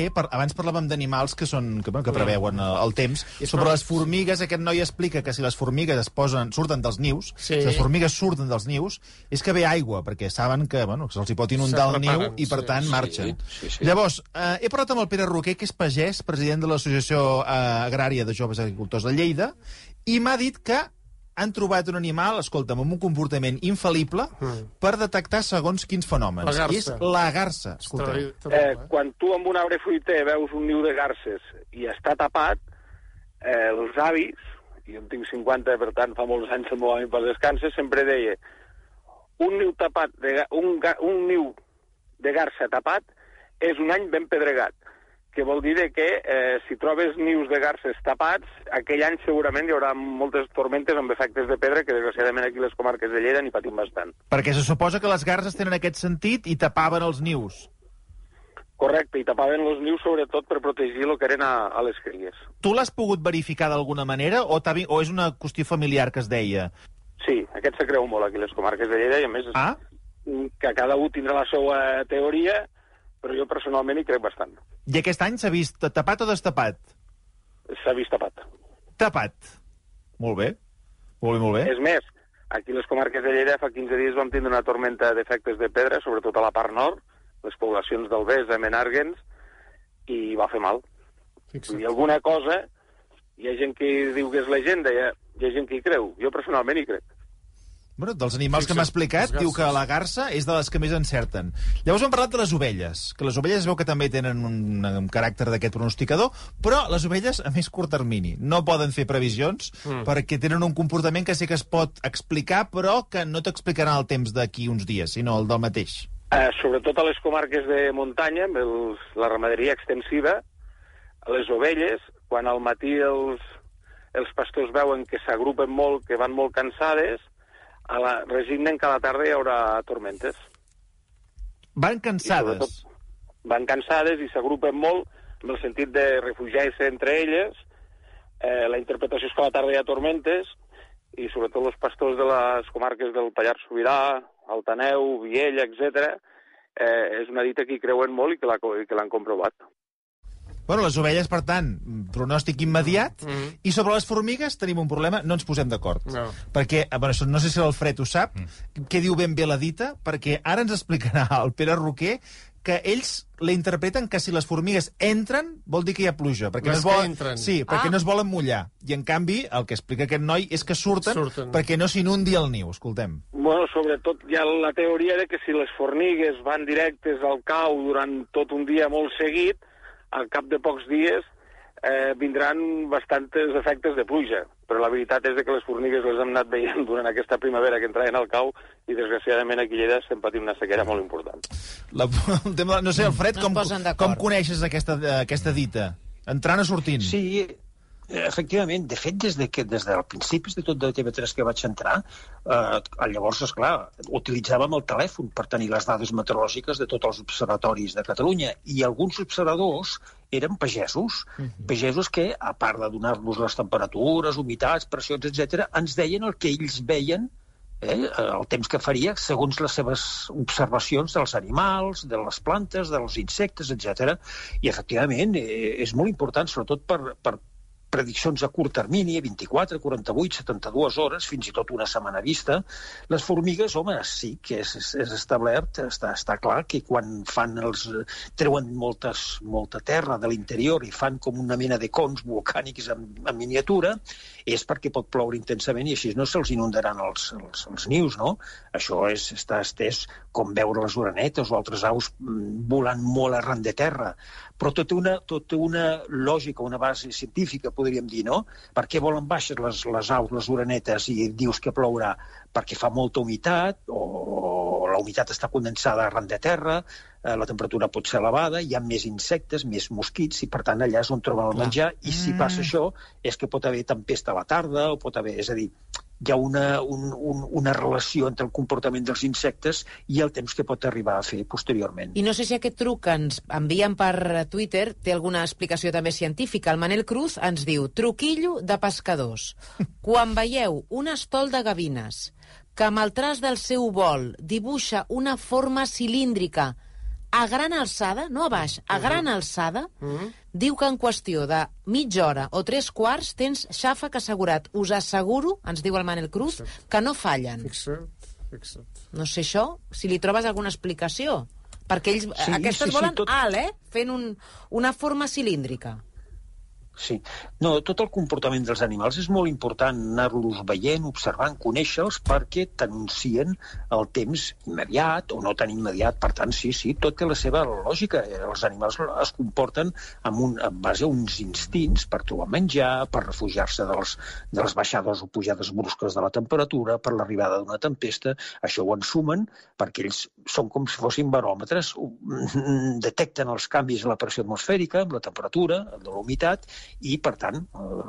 Abans parlàvem d'animals que preveuen el temps. Sobre les formigues, aquest noi explica que si les formigues surten dels nius, si les formigues surten dels nius, és que ve aigua, perquè saben que se'ls pot inundar el niu i, per tant, marxen. Llavors, he parlat amb el Pere Roquer, que és pagès, president de l'Associació Agrària de Joves Agricultors de Lleida, i m'ha dit que han trobat un animal, escolta'm, amb un comportament infal·lible per detectar segons quins fenòmens. I és la garsa. Quan tu amb un arbre fruiter veus un niu de garses i està tapat, els avis, i jo en tinc 50, per tant fa molts anys el meu avi per descanses, sempre deia un niu de garsa tapat és un any ben pedregat, que vol dir que si trobes nius de garses tapats, aquell any segurament hi haurà moltes tormentes amb efectes de pedra, que desgraciadament aquí a les comarques de Lleida n'hi patim bastant. Perquè se suposa que les garses tenen aquest sentit i tapaven els nius. Correcte, i tapaven els nius sobretot per protegir el que eren a les cries. Tu l'has pogut verificar d'alguna manera o és una qüestió familiar que es deia? Sí, aquest se creu molt aquí a les comarques de Lleida i a més que cada un tindrà la seva teoria, però jo personalment hi crec bastant. I aquest any s'ha vist tapat o destapat? S'ha vist tapat. Tapat. Molt bé. Molt bé. És més, aquí a les comarques de Lleida fa 15 dies vam tindre una tormenta d'efectes de pedra, sobretot a la part nord, les poblacions d'Albés, de Menàrguens, i va fer mal. I alguna cosa, hi ha gent que diu que és llegenda, hi ha gent que hi creu. Jo personalment hi crec. Bueno, dels animals que m'ha explicat, diu que la garsa és de les que més encerten. Llavors hem parlat de les ovelles, que les ovelles es veu que també tenen un caràcter d'aquest pronosticador, però les ovelles a més curt termini. No poden fer previsions perquè tenen un comportament que sí que es pot explicar, però que no t'explicarà el temps d'aquí uns dies, sinó el del mateix. Sobretot a les comarques de muntanya, amb la ramaderia extensiva, les ovelles, quan al matí els pastors veuen que s'agrupen molt, que van molt cansades, resignen que a la tarda hi haurà tormentes. Van cansades? Van cansades i s'agrupen molt en el sentit de refugiar-se entre elles. La interpretació és que a la tarda hi ha tormentes i sobretot els pastors de les comarques del Pallars Sobirà, Altaneu, Viella, etc. És una dita que hi creuen molt i que l'han comprovat. Bueno, les ovelles, per tant, pronòstic immediat. I sobre les formigues tenim un problema, no ens posem d'acord. No. Perquè, no sé si l'Alfred ho sap, què diu ben bé la dita, perquè ara ens explicarà el Pere Roquer que ells la interpreten que si les formigues entren, vol dir que hi ha pluja. Perquè perquè no es volen mullar. I, en canvi, el que explica aquest noi és que surten. Perquè no s'inundi el niu. Escoltem. Bueno, sobretot hi ha la teoria de que si les formigues van directes al cau durant tot un dia molt seguit, al cap de pocs dies vindran bastants efectes de pluja. Però la veritat és que les formigues les hem anat veient durant aquesta primavera que entraven al cau i, desgraciadament, aquí a Lleida estem patint una sequera molt important. No sé, Alfred, com coneixes aquesta dita? Entrant o sortint? Sí, efectivament. De fet, des del principis de tot de TV3 que vaig entrar, llavors, esclar, utilitzàvem el telèfon per tenir les dades meteorològiques de tots els observatoris de Catalunya, i alguns observadors eren pagesos, pagesos que, a part de donar-nos les temperatures, humitats, pressions, etc., ens deien el que ells veien, el temps que faria segons les seves observacions dels animals, de les plantes, dels insectes, etc. I, efectivament, és molt important, sobretot per prediccions a curt termini, 24, 48, 72 hores, fins i tot una setmana vista. Les formigues, home, sí que és establert, està clar que quan treuen molta terra de l'interior i fan com una mena de cons volcànics en miniatura, és perquè pot ploure intensament i així no se'ls inundaran els nius, no? Això està estès com veure les orenetes o altres aus volant molt arran de terra. Però tot té una lògica, una base científica, podríem dir, no? Per què volen baixes les aus, les orenetes, i dius que plourà? Perquè fa molta humitat, o la humitat està condensada arran de terra, la temperatura pot ser elevada, hi ha més insectes, més mosquits, i per tant allà és on troben el menjar, i si passa això és que pot haver tempesta a la tarda, o pot haver... És a dir, hi ha una relació entre el comportament dels insectes i el temps que pot arribar a fer posteriorment. I no sé si aquest truc que ens envien per Twitter té alguna explicació també científica. El Manel Cruz ens diu: truquillo de pescadors. Quan veieu un estol de gavines que amb el traç del seu vol dibuixa una forma cilíndrica a gran alçada, no a baix, a gran alçada, diu que en qüestió de mitja hora o 3/4 tens xàfec assegurat. Us asseguro, ens diu el Manel Cruz, que no fallen. Fixa't. No sé això, si li trobes alguna explicació. Perquè ells, aquestes volen alt, fent una forma cilíndrica. Sí. No, tot el comportament dels animals és molt important anar-los veient, observant, conèixer-los, perquè t'anuncien el temps immediat o no tan immediat. Per tant, sí, tot té la seva lògica. Els animals es comporten en base a uns instints per trobar menjar, per refugiar-se de les baixades o pujades brusques de la temperatura, per l'arribada d'una tempesta. Això ho ensumen perquè ells són com si fossin baròmetres, detecten els canvis en la pressió atmosfèrica, en la temperatura, en la humitat, i, per tant,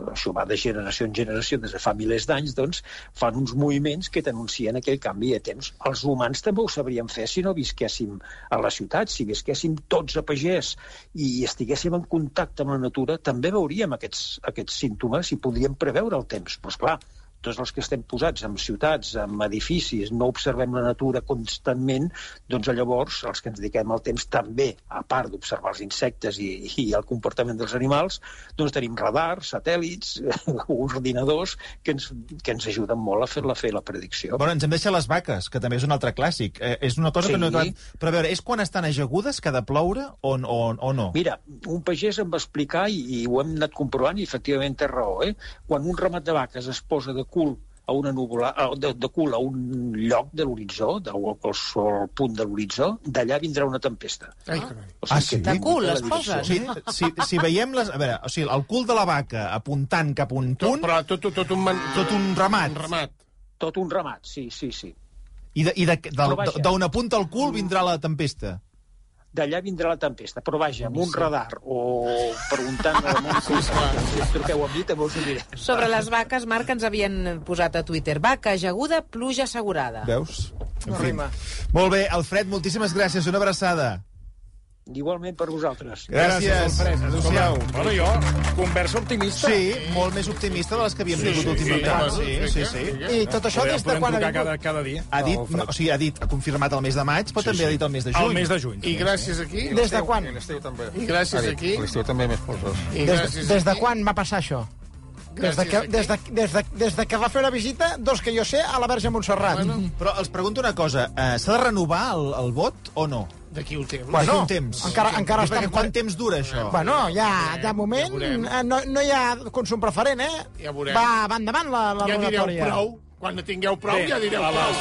això va de generació en generació, des de fa milers d'anys, doncs, fan uns moviments que t'anuncien aquell canvi de temps. Els humans també ho sabríem fer si no visquéssim a la ciutat, si visquéssim tots a pagès i estiguéssim en contacte amb la natura, també veuríem aquests símptomes i podríem preveure el temps. Però, esclar, tots els que estem posats en ciutats, en edificis, no observem la natura constantment, doncs llavors els que ens dediquem al temps també, a part d'observar els insectes i el comportament dels animals, doncs tenim radars, satèl·lits, ordinadors que ens ajuden molt a fer la predicció. Bueno, ens hem deixat les vaques, que també és un altre clàssic. És una cosa que no he acabat... Però a veure, és quan estan ajagudes que ha de ploure o no? Mira, un pagès em va explicar, i ho hem anat comprovant, i efectivament té raó, quan un ramat de vaques es posa de cul a una núvula, de cul a un lloc de l'horitzó, al punt de l'horitzó, d'allà vindrà una tempesta. Sí? De cul, les poses? Si veiem les... A veure, o sigui, el cul de la vaca apuntant cap a un punt... Però tot un ramat. Tot un ramat, sí. I d'on apunta el cul vindrà la tempesta? D'allà vindrà la tempesta, però vaja, amb un radar o preguntant al món si truqueu a mi, també us ho diré. Sobre les vaques, Marc, ens havien posat a Twitter: vaca ajaguda, pluja assegurada. Veus? No rima. Molt bé, Alfred, moltíssimes gràcies, una abraçada. Igualment per vosaltres. Gràcies, Alfred. Adéu-siau. Bueno, jo, conversa optimista. Sí, molt més optimista de les que havíem tingut últimament. Sí. I tot això des de quan ha vingut? Cada dia. Ha confirmat el mes de maig, però també ha dit el mes de juny. El mes de juny. I gràcies aquí... Des de quan? I gràcies aquí... L'estiu també més polsós. Des de quan va passar això? Des de que va fer una visita, que jo sé, a la Verge Montserrat. Però els pregunto una cosa, s'ha de renovar el vot o no? D'aquí un temps. D'aquí un temps. Encara està... Quant temps dura, això? Bueno, ja de moment no hi ha consum preferent, Ja veurem. Va endavant la rogatòria. Ja direu prou. Quan tingueu prou, ja direu prou.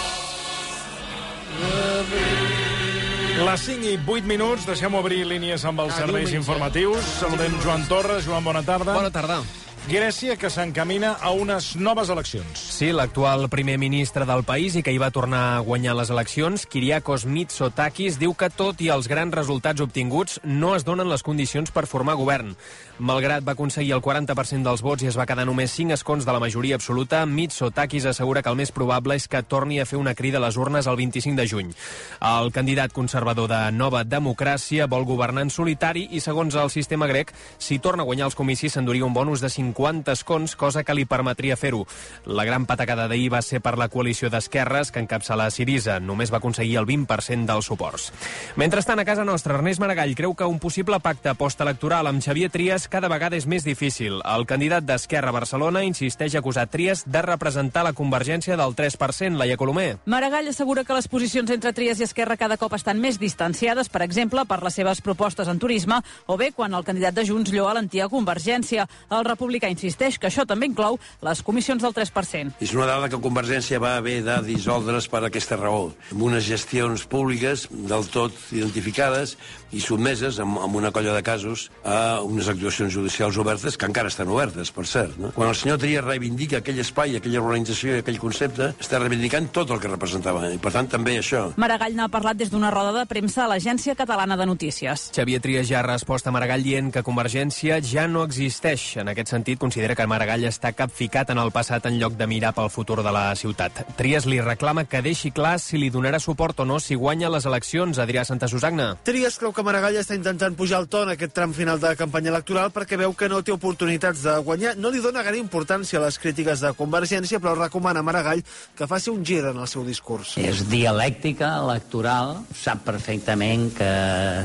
Les 5 i 8 minuts, deixem obrir línies amb els serveis informatius. Saludem Joan Torres. Joan, bona tarda. Bona tarda. Grècia, que s'encamina a unes noves eleccions. Sí, l'actual primer ministre del país i que hi va tornar a guanyar les eleccions, Kyriakos Mitsotakis, diu que tot i els grans resultats obtinguts no es donen les condicions per formar govern. Malgrat va aconseguir el 40% dels vots i es va quedar només 5 escons de la majoria absoluta, Mitsotakis assegura que el més probable és que torni a fer una crida a les urnes el 25 de juny. El candidat conservador de Nova Democràcia vol governar en solitari i, segons el sistema grec, si torna a guanyar els comicis s'enduria un bonus de 50 escons, cosa que li permetria fer-ho. La gran patacada d'ahir va ser per la coalició d'esquerres que encapçala Syriza. Només va aconseguir el 20% dels suports. Mentrestant, a casa nostra, Ernest Maragall creu que un possible pacte postelectoral amb Xavier Trias cada vegada és més difícil. El candidat d'Esquerra a Barcelona insisteix a acusar Trias de representar la convergència del 3%, Laia Colomer. Maragall assegura que les posicions entre Trias i Esquerra cada cop estan més distanciades, per exemple, per les seves propostes en turisme, o bé quan el candidat de Junts lloa l'antiga Convergència. El republicà insisteix que això també inclou les comissions del 3%. És una dada que Convergència va haver de dissoldre's per aquesta raó, amb unes gestions públiques del tot identificades i sotmeses, amb una colla de casos, a unes actuacions judicials obertes, que encara estan obertes, per cert. No? Quan el senyor Trias reivindica aquell espai, aquella organització i aquell concepte, està reivindicant tot el que representava, i per tant també això. Maragall n'ha parlat des d'una roda de premsa a l'Agència Catalana de Notícies. Xavier Trias ja ha respost a Maragall dient que Convergència ja no existeix. En aquest sentit, sentit, considera que Maragall està capficat en el passat en lloc de mirar pel futur de la ciutat. Trias li reclama que deixi clar si li donarà suport o no si guanya les eleccions. Adrià Santasusagna. Trias creu que Maragall està intentant pujar el to en aquest tram final de campanya electoral perquè veu que no té oportunitats de guanyar. No li dona gaire importància a les crítiques de Convergència, però recomana a Maragall que faci un gir en el seu discurs. És dialèctica electoral, sap perfectament que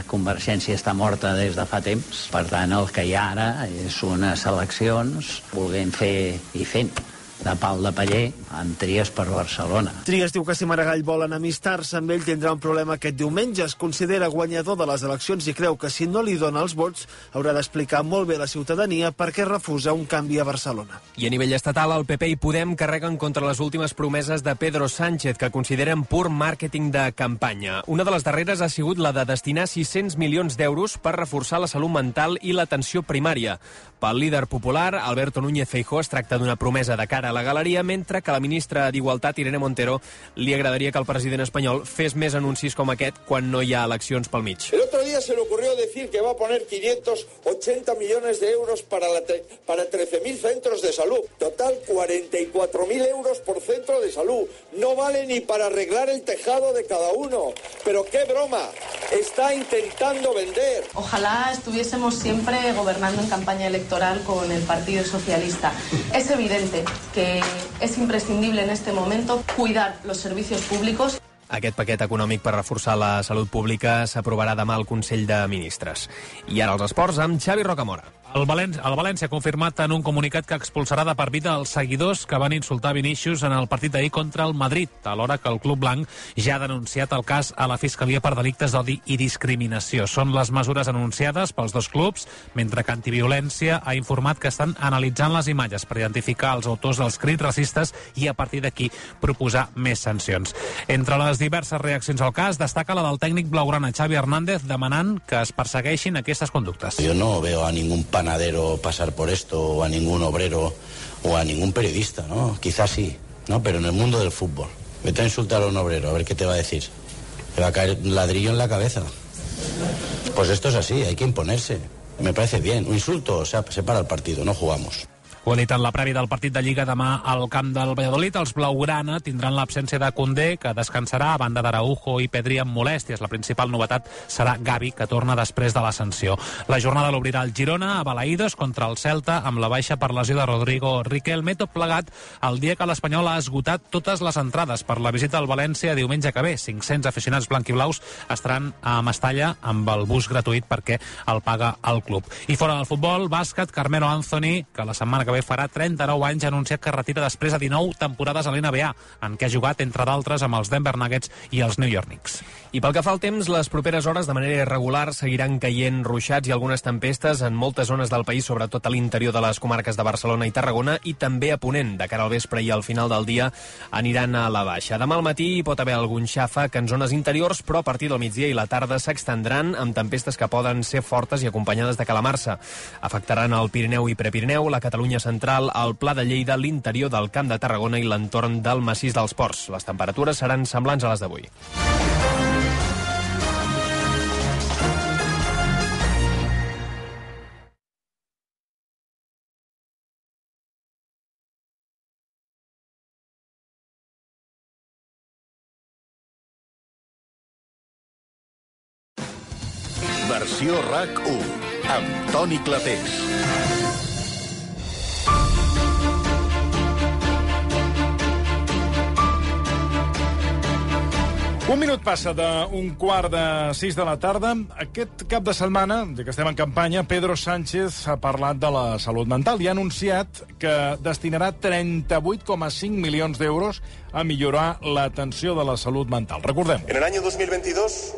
Convergència està morta des de fa temps, per tant el que hi ha ara és unes eleccions volent fer i fent de pal de paller amb Trias per Barcelona. Trias diu que si Maragall vol enemistar-se amb ell tindrà un problema aquest diumenge. Es considera guanyador de les eleccions i creu que si no li dona els vots haurà d'explicar molt bé a la ciutadania per què refusa un canvi a Barcelona. I a nivell estatal, el PP i Podem carreguen contra les últimes promeses de Pedro Sánchez, que consideren pur màrqueting de campanya. Una de les darreres ha sigut la de destinar 600 milions d'euros per reforçar la salut mental i l'atenció primària. Pel líder popular, Alberto Núñez Feijóo, es tracta d'una promesa de cara a la galeria, mentre que la ministra d'Igualtat, Irene Montero, li agradaria que el president espanyol fes més anuncis com aquest quan no hi ha eleccions pel mig. El otro día se le ocurrió decir que va a poner 580 millones de euros para 13.000 centros de salud. Total, 44.000 euros por centro de salud. No vale ni para arreglar el tejado de cada uno. Pero qué broma, está intentando vender. Ojalá estuviésemos siempre gobernando en campaña electoral con el Partido Socialista. Es evidente que es imprescindible en este momento cuidar los servicios públicos. Aquest paquet econòmic per reforçar la salut pública s'aprovarà demà al Consell de Ministres. I ara els esports amb Xavi Rocamora. El València ha confirmat en un comunicat que expulsarà de per vida els seguidors que van insultar Vinícius en el partit d'ahir contra el Madrid, alhora que el club blanc ja ha denunciat el cas a la Fiscalia per delictes d'odi i discriminació. Són les mesures anunciades pels dos clubs, mentre que Antiviolència ha informat que estan analitzant les imatges per identificar els autors dels crits racistes i a partir d'aquí proposar més sancions. Entre les diverses reaccions al cas destaca la del tècnic blaugrana Xavi Hernández demanant que es persegueixin aquestes conductes. Yo no veo a ningún panadero pasar por esto, o a ningún obrero, o a ningún periodista, ¿no? Quizás sí, ¿no? Pero en el mundo del fútbol. Vete a insultar a un obrero, a ver qué te va a decir. Te va a caer un ladrillo en la cabeza. Pues esto es así, hay que imponerse. Me parece bien. Un insulto, o sea, se para el partido, no jugamos. Ho ha dit en la prèvia del partit de Lliga demà al camp del Valladolid. Els blaugrana tindran l'absència de Koundé, que descansarà a banda d'Araujo i Pedri amb molèsties. La principal novetat serà Gavi, que torna després de la sanció. La jornada l'obrirà el Girona a Balaïdos contra el Celta amb la baixa per lesió de Rodrigo Riquelme, tot plegat el dia que l'Espanyol ha esgotat totes les entrades per la visita al València diumenge que ve. 500 aficionats blanquiblaus estaran a Mestalla amb el bus gratuït perquè el paga el club. I fora del futbol, bàsquet, Carmelo Anthony, que la setmana que ve farà 39 anys, ha anunciat que retira després de 19 temporades a l'NBA, en què ha jugat, entre d'altres, amb els Denver Nuggets i els New York Knicks. I pel que fa al temps, les properes hores de manera irregular seguiran caient ruixats i algunes tempestes en moltes zones del país, sobretot a l'interior de les comarques de Barcelona i Tarragona, i també a Ponent. De cara al vespre i al final del dia aniran a la baixa. Demà al matí hi pot haver algun xàfec en zones interiors, però a partir del migdia i la tarda s'extendran amb tempestes que poden ser fortes i acompanyades de calamarsa. Afectaran el Pirineu i Prepirineu, la Catalunya central, al Pla de Lleida, l'interior del Camp de Tarragona i l'entorn del massís dels Ports. Les temperatures seran semblants a les d'avui. Versió RAC1 amb Toni Clapés. Un minut passa d'un 5:15 de la tarda. Aquest cap de setmana, ja que estem en campanya, Pedro Sánchez ha parlat de la salut mental i ha anunciat que destinarà 38,5 milions d'euros a millorar l'atenció de la salut mental. Recordem. En el año 2022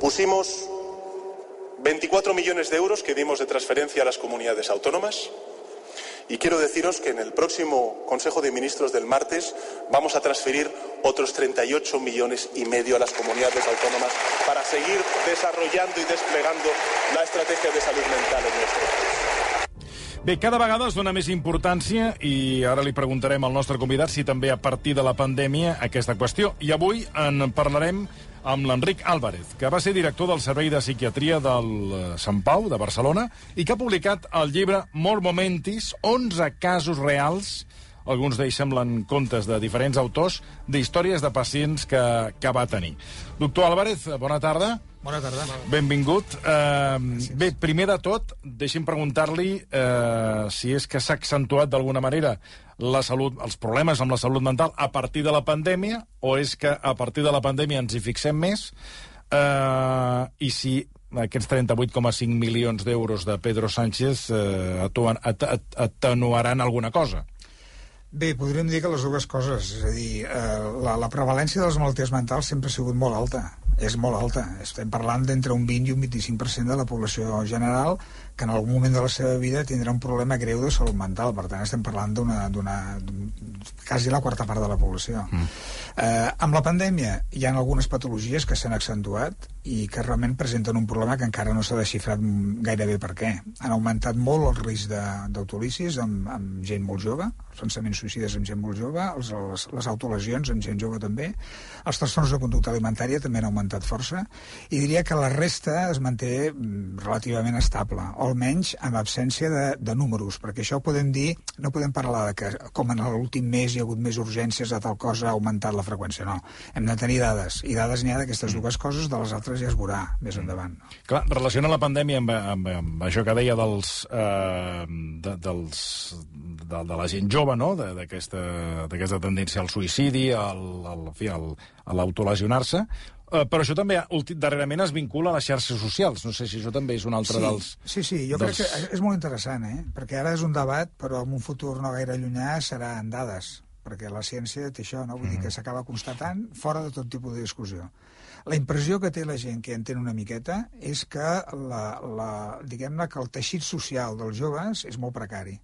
pusimos 24 millones de euros que dimos de transferencia a las comunidades autónomas. Y quiero deciros que en el próximo Consejo de Ministros del martes vamos a transferir otros 38,5 millones a las comunidades autónomas para seguir desarrollando y desplegando la estrategia de salud mental en nuestro país. Bé, cada vegada es dona més importància i ara li preguntarem al nostre convidat si també a partir de la pandèmia aquesta qüestió. I avui en parlarem amb l'Enric Álvarez, que va ser director del Servei de Psiquiatria del Sant Pau, de Barcelona, i que ha publicat el llibre Mort Momentis, 11 casos reals, alguns d'ells semblen contes de diferents autors, d'històries de pacients que va tenir. Doctor Álvarez, bona tarda. Bona tarda. Benvingut. Bé, primer de tot, deixi'm preguntar-li si és que s'ha accentuat d'alguna manera els problemes amb la salut mental a partir de la pandèmia, o és que a partir de la pandèmia ens hi fixem més, i si aquests 38,5 milions d'euros de Pedro Sánchez atenuaran alguna cosa. Bé, podríem dir que les dues coses. És a dir, la prevalència de les malalties mentals sempre ha sigut molt alta. És molt alta. Estem parlant d'entre un 20 i un 25% de la població general que en algun moment de la seva vida tindrà un problema greu de salut mental. Per tant, estem parlant quasi la quarta part de la població. Amb la pandèmia hi ha algunes patologies que s'han accentuat i que realment presenten un problema que encara no s'ha desxifrat gairebé per què. Han augmentat molt el risc d'autolisis amb gent molt jove, els pensaments suïcides amb gent molt jove, les autolesions amb gent jove també, els trastorns de conducta alimentària també han augmentat força, i diria que la resta es manté relativament estable, o almenys amb absència de números, perquè això podem dir, no podem parlar de que com en l'últim mes hi ha hagut més urgències de tal cosa ha augmentat la freqüència, no. Hem de tenir dades, i dades n'hi ha d'aquestes dues coses, de les altres ja es veurà més endavant. Clar, relaciona la pandèmia amb això que deia de la gent jove, no?, d'aquesta tendència al suïcidi, a l'autolesionar-se, però això també darrerament es vincula a les xarxes socials. No sé si això també és un altre dels... Sí, jo crec que és molt interessant, perquè ara és un debat, però en un futur no gaire llunyà serà en dades, perquè la ciència té això, no? Vull dir que s'acaba constatant fora de tot tipus de discussió. La impressió que té la gent que entén una miqueta és que diguem-ne que el teixit social dels joves és molt precari.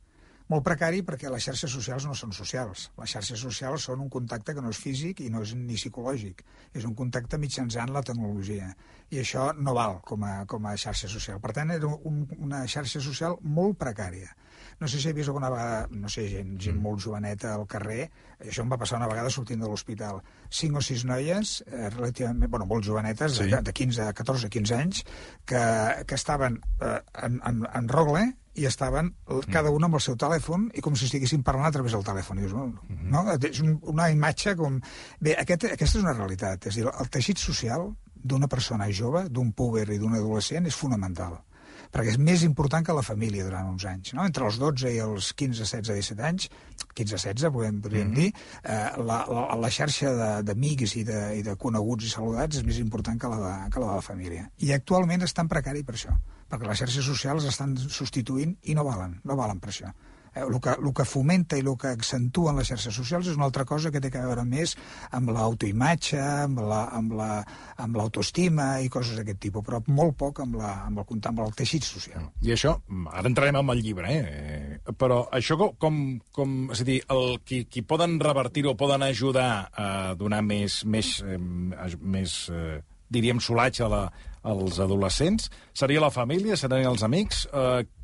Molt precari perquè les xarxes socials no són socials. Les xarxes socials són un contacte que no és físic i no és ni psicològic. És un contacte mitjançant la tecnologia. I això no val com a xarxa social. Per tant, era una xarxa social molt precària. No sé si he vist alguna vegada, no sé, gent molt joveneta al carrer, això em va passar una vegada sortint de l'hospital. 5 o 6 noies, relativament, molt jovenetes, de 14 a 15 anys, que estaven en rogle i estaven cada una amb el seu telèfon i com si estiguessin parlant a través del telèfon. No? És una imatge com... Bé, aquesta és una realitat. És a dir, el teixit social d'una persona jove, d'un púber i d'un adolescent és fonamental, perquè és més important que la família durant uns anys. No? Entre els 12 i els 15, 16, 17 anys, 15-16 podríem dir, la xarxa d'amics i de coneguts i saludats és més important que la de la família. I actualment és tan precari per això, perquè les xarxes socials estan substituint i no valen per això. El que fomenta i el que accentua en les xarxes socials és una altra cosa que té a veure més amb l'autoimatge, amb l'autoestima i coses d'aquest tipus, però molt poc amb el teixit social. I això, ara entrarem amb el llibre, però això és a dir, qui poden revertir o poden ajudar a donar més diríem, solatge als adolescents, seria la família, serien els amics?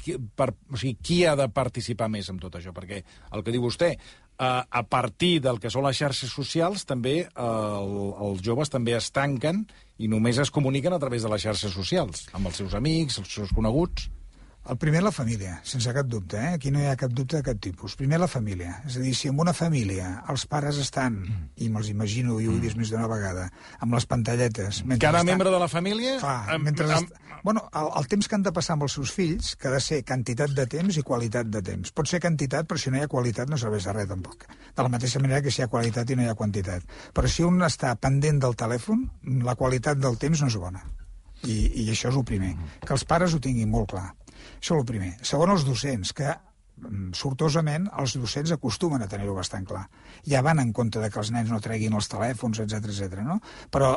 Qui ha de participar més en tot això? Perquè el que diu vostè, a partir del que són les xarxes socials, també els joves també es tanquen i només es comuniquen a través de les xarxes socials, amb els seus amics, els seus coneguts. El primer, la família, sense cap dubte. Aquí no hi ha cap dubte de cap tipus. Primer, la família. És a dir, si en una família els pares estan, i me'ls imagino, i ho he vist més d'una vegada, amb les pantalletes... Cada membre de la família... El temps que han de passar amb els seus fills, que ha de ser quantitat de temps i qualitat de temps. Pot ser quantitat, però si no hi ha qualitat no serveix de res, tampoc. De la mateixa manera que si hi ha qualitat i no hi ha quantitat. Però si un està pendent del telèfon, la qualitat del temps no és bona. I això és el primer. Que els pares ho tinguin molt clar. Això és el primer. Segon, els docents, que sortosament els docents acostumen a tenir-ho bastant clar. Ja van en compte de que els nens no treguin els telèfons, etc. no? Però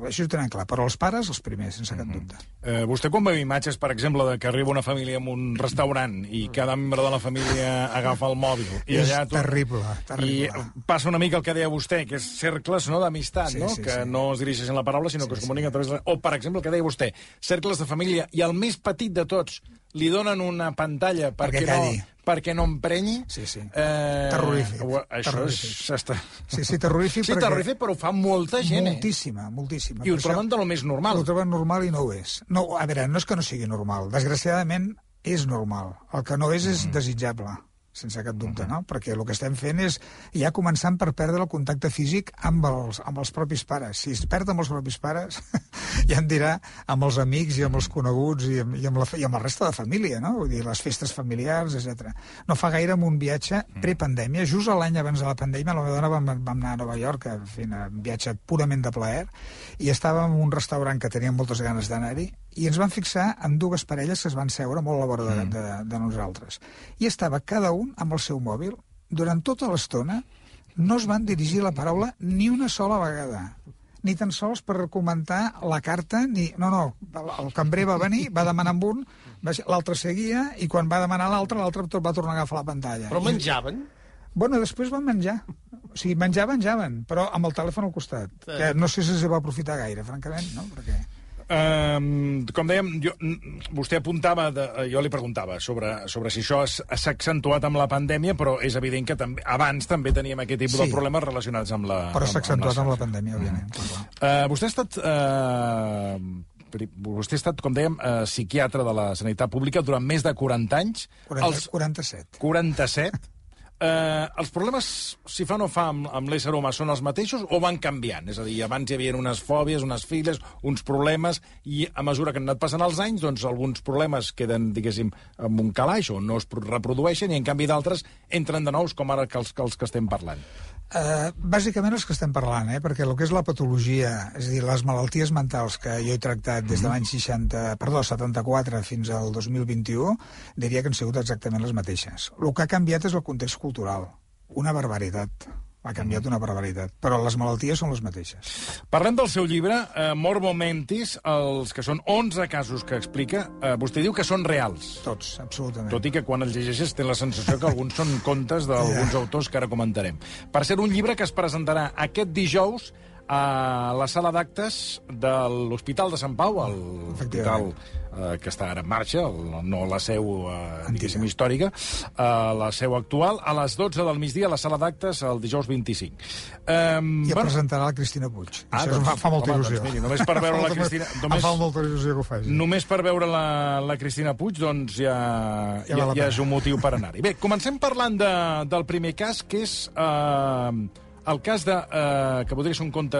això ho tenen clar. Però els pares, els primers, sense cap dubte. Vostè quan veu imatges, per exemple, de que arriba una família en un restaurant i cada membre de la família agafa el mòbil... És terrible. I passa una mica el que deia vostè, que és cercles d'amistat, que no es dirigeixen la paraula, sinó que es comuniquen a través de... O, per exemple, el que deia vostè, cercles de família, i el més petit de tots li donen una pantalla perquè no emprenyi... Sí. Terrorífic. Això Sí, terrorífic. Sí, terrorífic, però ho fa molta gent. Moltíssima. I ho troben de lo més normal. Ho troben normal i no ho és. No, a veure, no és que no sigui normal. Desgraciadament és normal. El que no és desitjable, sense cap dubte, no? Perquè el que estem fent és ja començant per perdre el contacte físic amb els propis pares. Si es perd amb els propis pares, ja en dirà amb els amics i amb els coneguts i amb la resta de família, no? Vull dir, les festes familiars, etc. No fa gaire, amb un viatge prepandèmia, just l'any abans de la pandèmia, la meva dona vam anar a Nova York a fer un viatge purament de plaer, i estàvem en un restaurant que teníem moltes ganes d'anar-hi, i ens van fixar amb dues parelles que es van seure molt a la vora de nosaltres. I estava cada un amb el seu mòbil. Durant tota l'estona no es van dirigir la paraula ni una sola vegada. Ni tan sols per comentar la carta, ni... No, el cambrer va venir, va demanar amb un, l'altre seguia, i quan va demanar l'altre va tornar a agafar la pantalla. Però menjaven? Bueno, després van menjar. O sigui, menjaven, però amb el telèfon al costat. Que no sé si se va aprofitar gaire, francament, no? Perquè... com dèiem, vostè apuntava, jo li preguntava sobre si això s'ha accentuat amb la pandèmia, però és evident que abans també teníem aquest tipus de problemes relacionats amb la... Però s'ha accentuat amb la pandèmia, òbviament. Vostè ha estat, com dèiem, psiquiatre de la sanitat pública durant més de 40 anys. 47. 47. Els problemes, si fa o no fa, amb l'ésser humà són els mateixos o van canviant? És a dir, abans hi havia unes fòbies, unes files, uns problemes, i a mesura que han anat passant els anys, doncs alguns problemes queden, diguéssim, en un calaix o no es reprodueixen, i en canvi d'altres entren de nous, com ara els que estem parlant. Bàsicament els que estem parlant, perquè el que és la patologia, és a dir, les malalties mentals que jo he tractat des de l'any 74 fins al 2021, diria que han sigut exactament les mateixes. El que ha canviat és el context cultural. Una barbaritat. Ha canviat una barbaritat, però les malalties són les mateixes. Parlem del seu llibre, Morbo Mentis, els que són 11 casos que explica. Vostè diu que són reals. Tots, absolutament. Tot i que quan els llegeixes té la sensació que alguns són contes d'alguns autors que ara comentarem. Per ser un llibre que es presentarà aquest dijous a la sala d'actes de l'Hospital de Sant Pau, l'hospital que està ara en marxa, no la seu, diguéssim, històrica, la seu actual, a les 12 del migdia a la sala d'actes el dijous 25. I presentarà la Cristina Puig. Això fa molta il·lusió. Doncs miri, només per veure la Cristina... Em fa molta il·lusió que ho faci. Només per veure la Cristina Puig, doncs ja és un motiu per anar-hi. Bé, comencem parlant del primer cas, que és... el cas que podria ser un conte,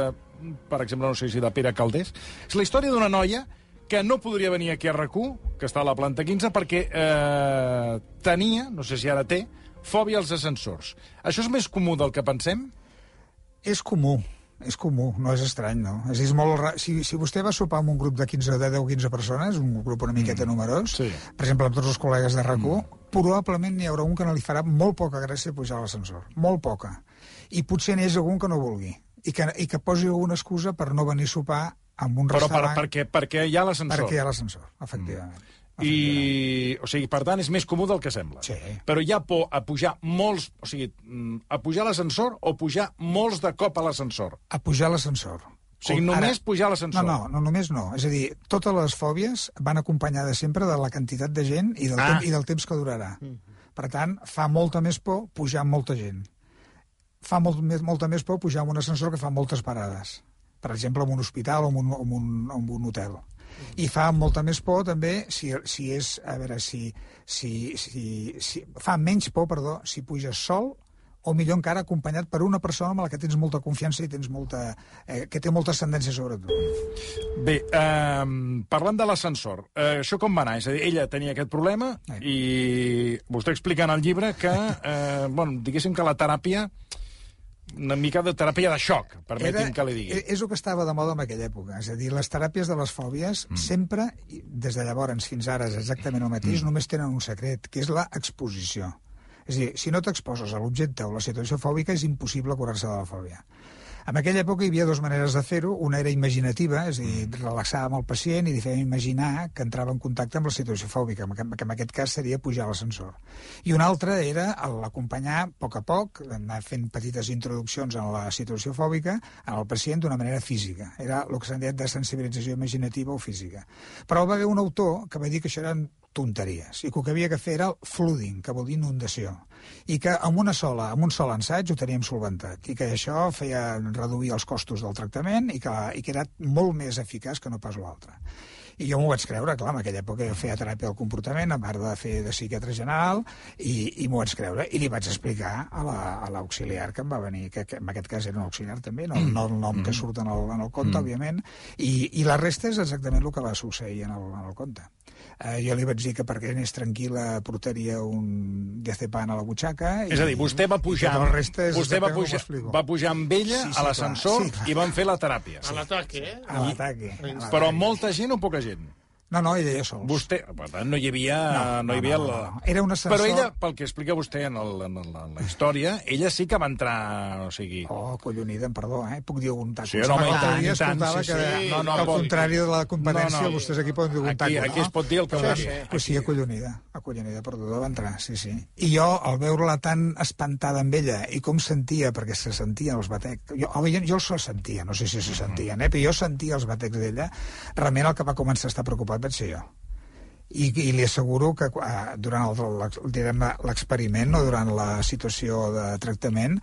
per exemple, no sé si de Pere Calders, és la història d'una noia que no podria venir aquí a RAC1, que està a la planta 15, perquè tenia, no sé si ara té, fòbia als ascensors. Això és més comú del que pensem? És comú, no és estrany, no? És molt si vostè va sopar amb un grup de 10-15 persones, un grup una miqueta numerós, per exemple, amb tots els col·legues de RAC1, probablement n'hi haurà un que no li farà molt poca gràcia pujar a l'ascensor. Molt poca. I potser n'hi hagi algun que no vulgui. I que posi alguna excusa per no venir a sopar amb un restaurant... Però perquè hi ha l'ascensor. Perquè hi ha l'ascensor, efectivament. O sigui, per tant, és més comú del que sembla. Sí. Però hi ha por a pujar molts... O sigui, a pujar a l'ascensor o pujar molts de cop a l'ascensor? A pujar a l'ascensor. O sigui, només pujar a l'ascensor? No, només no. És a dir, totes les fòbies van acompanyades sempre de la quantitat de gent i del temps que durarà. Per tant, fa molta més por pujar amb molta gent. Fa molta més por pujar amb un ascensor que fa moltes parades. Per exemple, en un hospital o en un hotel. I fa molta més por també si és... A veure, fa menys por, si puges sol o millor encara acompanyat per una persona amb la que tens molta confiança i que té molta ascendència sobre tu. Bé, parlant de l'ascensor, això com va anar? És a dir, ella tenia aquest problema i vostè explica en el llibre que, diguéssim que la teràpia, una mica de teràpia de xoc, permeti'm que li digui. És el que estava de moda en aquella època. És a dir, les teràpies de les fòbies sempre, des de llavors fins ara, és exactament el mateix, només tenen un secret, que és l'exposició. És a dir, si no t'exposes a l'objecte o la situació fòbica, és impossible curar-se de la fòbia. En aquella època hi havia dues maneres de fer-ho. Una era imaginativa, és a dir, relaxàvem el pacient i li fèiem imaginar que entrava en contacte amb la situació fòbica, que en aquest cas seria pujar a l'ascensor. I una altra era l'acompanyar a poc, anar fent petites introduccions en la situació fòbica al pacient d'una manera física. Era el que s'han dit de sensibilització imaginativa o física. Però va haver un autor que va dir que això eren tonteries. I que el que havia de fer era el flooding, que vol dir inundació. I que amb un sol assaig ho teníem solventat. I que això feia reduir els costos del tractament i que era molt més eficaç que no pas l'altre. I jo m'ho vaig creure, clar, en aquella època jo feia teràpia del comportament, a part de fer de psiquiatre general, i m'ho vaig creure, i li vaig explicar a l'auxiliar que em va venir, que en aquest cas era un auxiliar també, no el nom que surt en el conte, òbviament, i la resta és exactament el que va succeir en el conte. Jo li vaig dir que perquè anés tranquil·la portaria un diazepam a la butxaca... És a dir, vostè va pujar amb ella a l'ascensor i van fer la teràpia. A l'ataque, eh? A l'ataque. Però molta gent o poca gent? No, ella ja sols. Vostè, per tant, no hi havia... No. Era un ascensor... Però ella, pel que explica vostè en la història, ella sí que va entrar, o sigui... Oh, collonida, perdó, puc dir un taco. Sí, no, al contrari de la competència, vostès aquí poden dir un taco, no? Aquí es pot dir el que vulgui. Pues sí, acollonida, perdó, va entrar, sí. I jo, al veure-la tan espantada amb ella, i com sentia, perquè se sentien els batecs... Jo els sentia, no sé si se sentien, però jo sentia els batecs d'ella, realment el que va començar a estar preocupat vaig ser jo. I li asseguro que durant l'experiment o durant la situació de tractament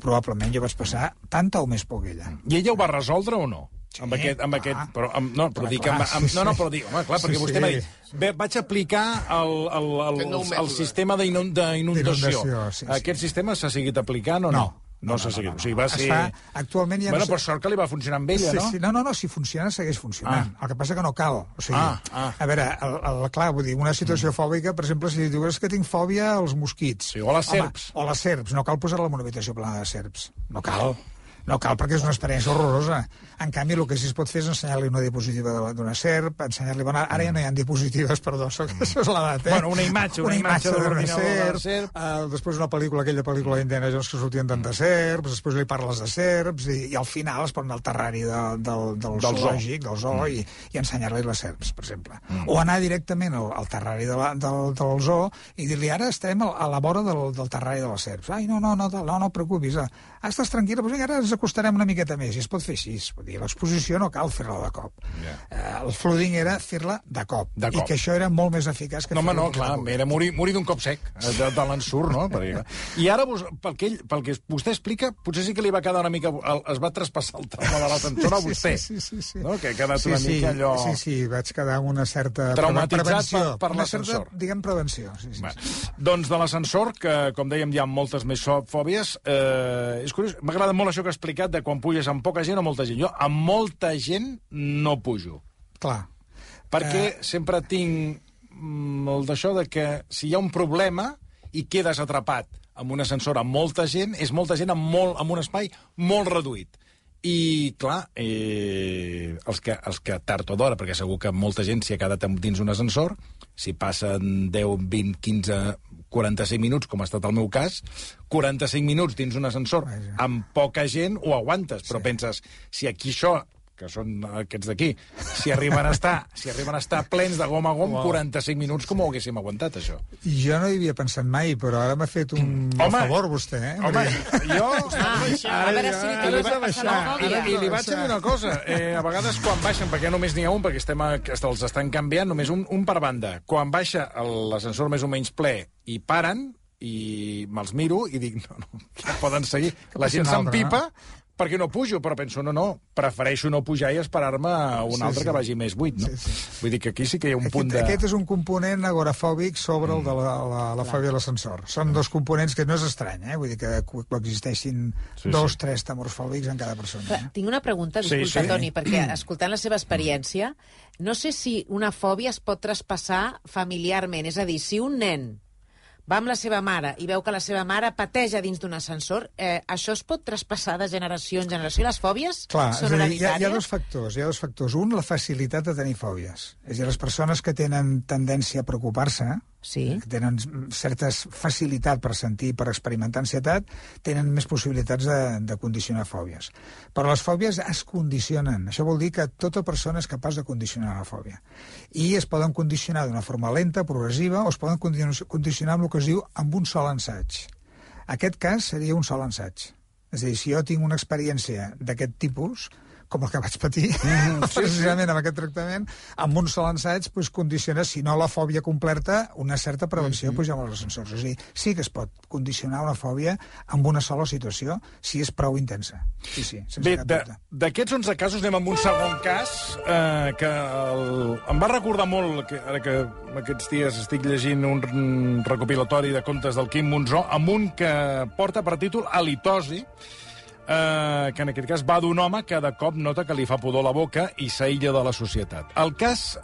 probablement jo vaig passar tanta o més por que ella. I ella ho va resoldre o no? Sí, però dic, home, clar, perquè vostè m'ha dit, vaig aplicar el sistema d'inundació. Aquest sistema s'ha seguit aplicant o no? No s'ha seguit. O sigui, va ser... Actualment ja no... per sort que li va funcionar amb ella, no? No, si funciona, segueix funcionant. El que passa que no cal. O sigui, a veure, clar, vull dir, una situació fòbica, per exemple, si dius que tinc fòbia als mosquits. O a les serps. O a les serps. No cal posar-la en una habitació plena de serps. No cal. No cal, perquè és una experiència horrorosa. En canvi, el que sí es pot fer és ensenyar-li una diapositiva d'una serp, ensenyar-li... Ara ja no hi ha diapositives, perdó, això és l'edat, Bueno, una imatge de l'ordinador de serp. Després una pel·lícula, aquella pel·lícula d'Indiana Jones que sortien tantes serps, després li parles de serps, i al final es posen al terrari del zoològic, del zoo, i ensenyar-li les serps, per exemple. O anar directament al terrari del zoo i dir-li, ara estem a la vora del terrari de les serps. Ai, no preocupis, estàs tranquil·la, doncs ara ens acostarem una miqueta més, i es pot fer així. L'exposició no cal fer-la de cop. El flooding era fer-la de cop. I que això era molt més eficaç que fer-la de cop. No, clar, era morir d'un cop sec, de l'ensurt, no? I ara, pel que vostè explica, potser sí que li va quedar una mica... Es va traspassar el trauma de l'ascensor a vostè. Sí. No? Que ha quedat una mica allò... Sí, vaig quedar amb una certa... Traumatitzat per l'ascensor. Diguem prevenció. Doncs de l'ascensor, que, com dèiem, hi ha moltes més fòbies, és curiós, m'agrada molt això que ha explicat de quan puges amb poca gent o molta gent. Jo amb molta gent no pujo. Clar. Perquè sempre tinc el d'això de que si hi ha un problema i quedes atrapat amb un ascensor amb molta gent, és molta gent amb un espai molt reduït. I, clar, els que tard o d'hora, perquè segur que molta gent s'hi ha quedat dins un ascensor, si passen 10, 20, 15, 45 minuts, com ha estat el meu cas, 45 minuts dins un ascensor amb poca gent ho aguantes, però penses, si aquí això, que són aquests d'aquí, si arriben a estar plens de gom a gom, 45 minuts, com ho haguéssim aguantat, això? Jo no hi havia pensat mai, però ara m'ha fet un favor, vostè, Home, jo... A veure si li I li vaig dir una cosa. A vegades, quan baixen, perquè només n'hi ha un, perquè els estan canviant, només un per banda. Quan baixa l'ascensor més o menys ple i paren, i me'ls miro i dic, no, poden seguir. La gent s'empipa, perquè no pujo, però penso, no, prefereixo no pujar i esperar-me a un altre que vagi més buit, no? Vull dir que aquí sí que hi ha un punt de... Aquest és un component agorafòbic sobre el de la fòbia de l'ascensor. Són dos components que no és estrany, vull dir que coexisteixin 2-3 temors fòbics en cada persona. Tinc una pregunta, disculpa, Toni, perquè escoltant la seva experiència, no sé si una fòbia es pot traspassar familiarment, és a dir, si un nen va amb la seva mare i veu que la seva mare pateja dins d'un ascensor, això es pot traspassar de generació en generació? Les fòbies són hereditàries? Hi ha dos factors. Un, la facilitat de tenir fòbies. És a dir, les persones que tenen tendència a preocupar-se, que tenen certa facilitat per sentir, per experimentar ansietat, tenen més possibilitats de condicionar fòbies. Però les fòbies es condicionen. Això vol dir que tota persona és capaç de condicionar la fòbia. I es poden condicionar d'una forma lenta, progressiva, o es poden condicionar amb el que es diu amb un sol ensaig. Aquest cas seria un sol ensaig. És a dir, si jo tinc una experiència d'aquest tipus, com el que vaig patir, precisament amb aquest tractament, amb un sol ensaig condiciona, si no la fòbia completa, una certa prevenció pujar amb els ascensors. És a dir, sí que es pot condicionar una fòbia amb una sola situació, si és prou intensa. Sí, sense cap dubte. D'aquests 11 casos anem amb un segon cas que em va recordar molt, ara que aquests dies estic llegint un recopilatori de contes del Quim Monzó, amb un que porta per títol Halitosi, que en aquest cas va d'un home que de cop nota que li fa pudor la boca i s'aïlla de la societat. El cas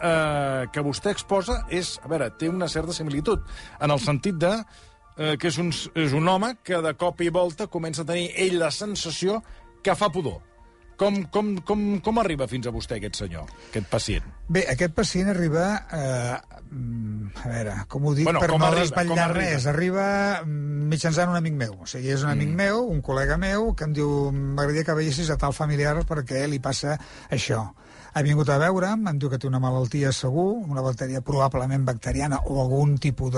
que vostè exposa té una certa similitud, en el sentit de que és un home que de cop i volta comença a tenir ell la sensació que fa pudor. Com arriba fins a vostè aquest senyor, aquest pacient? Bé, aquest pacient arriba, a veure, com ho dic, per no desvetllar res, arriba mitjançant un amic meu. O sigui, és un amic meu, un col·lega meu, que em diu, m'agradaria que veiessis a tal familiar perquè li passa això. Ha vingut a veure'm, em diu que té una malaltia segur, una malaltia probablement bacteriana o algun tipus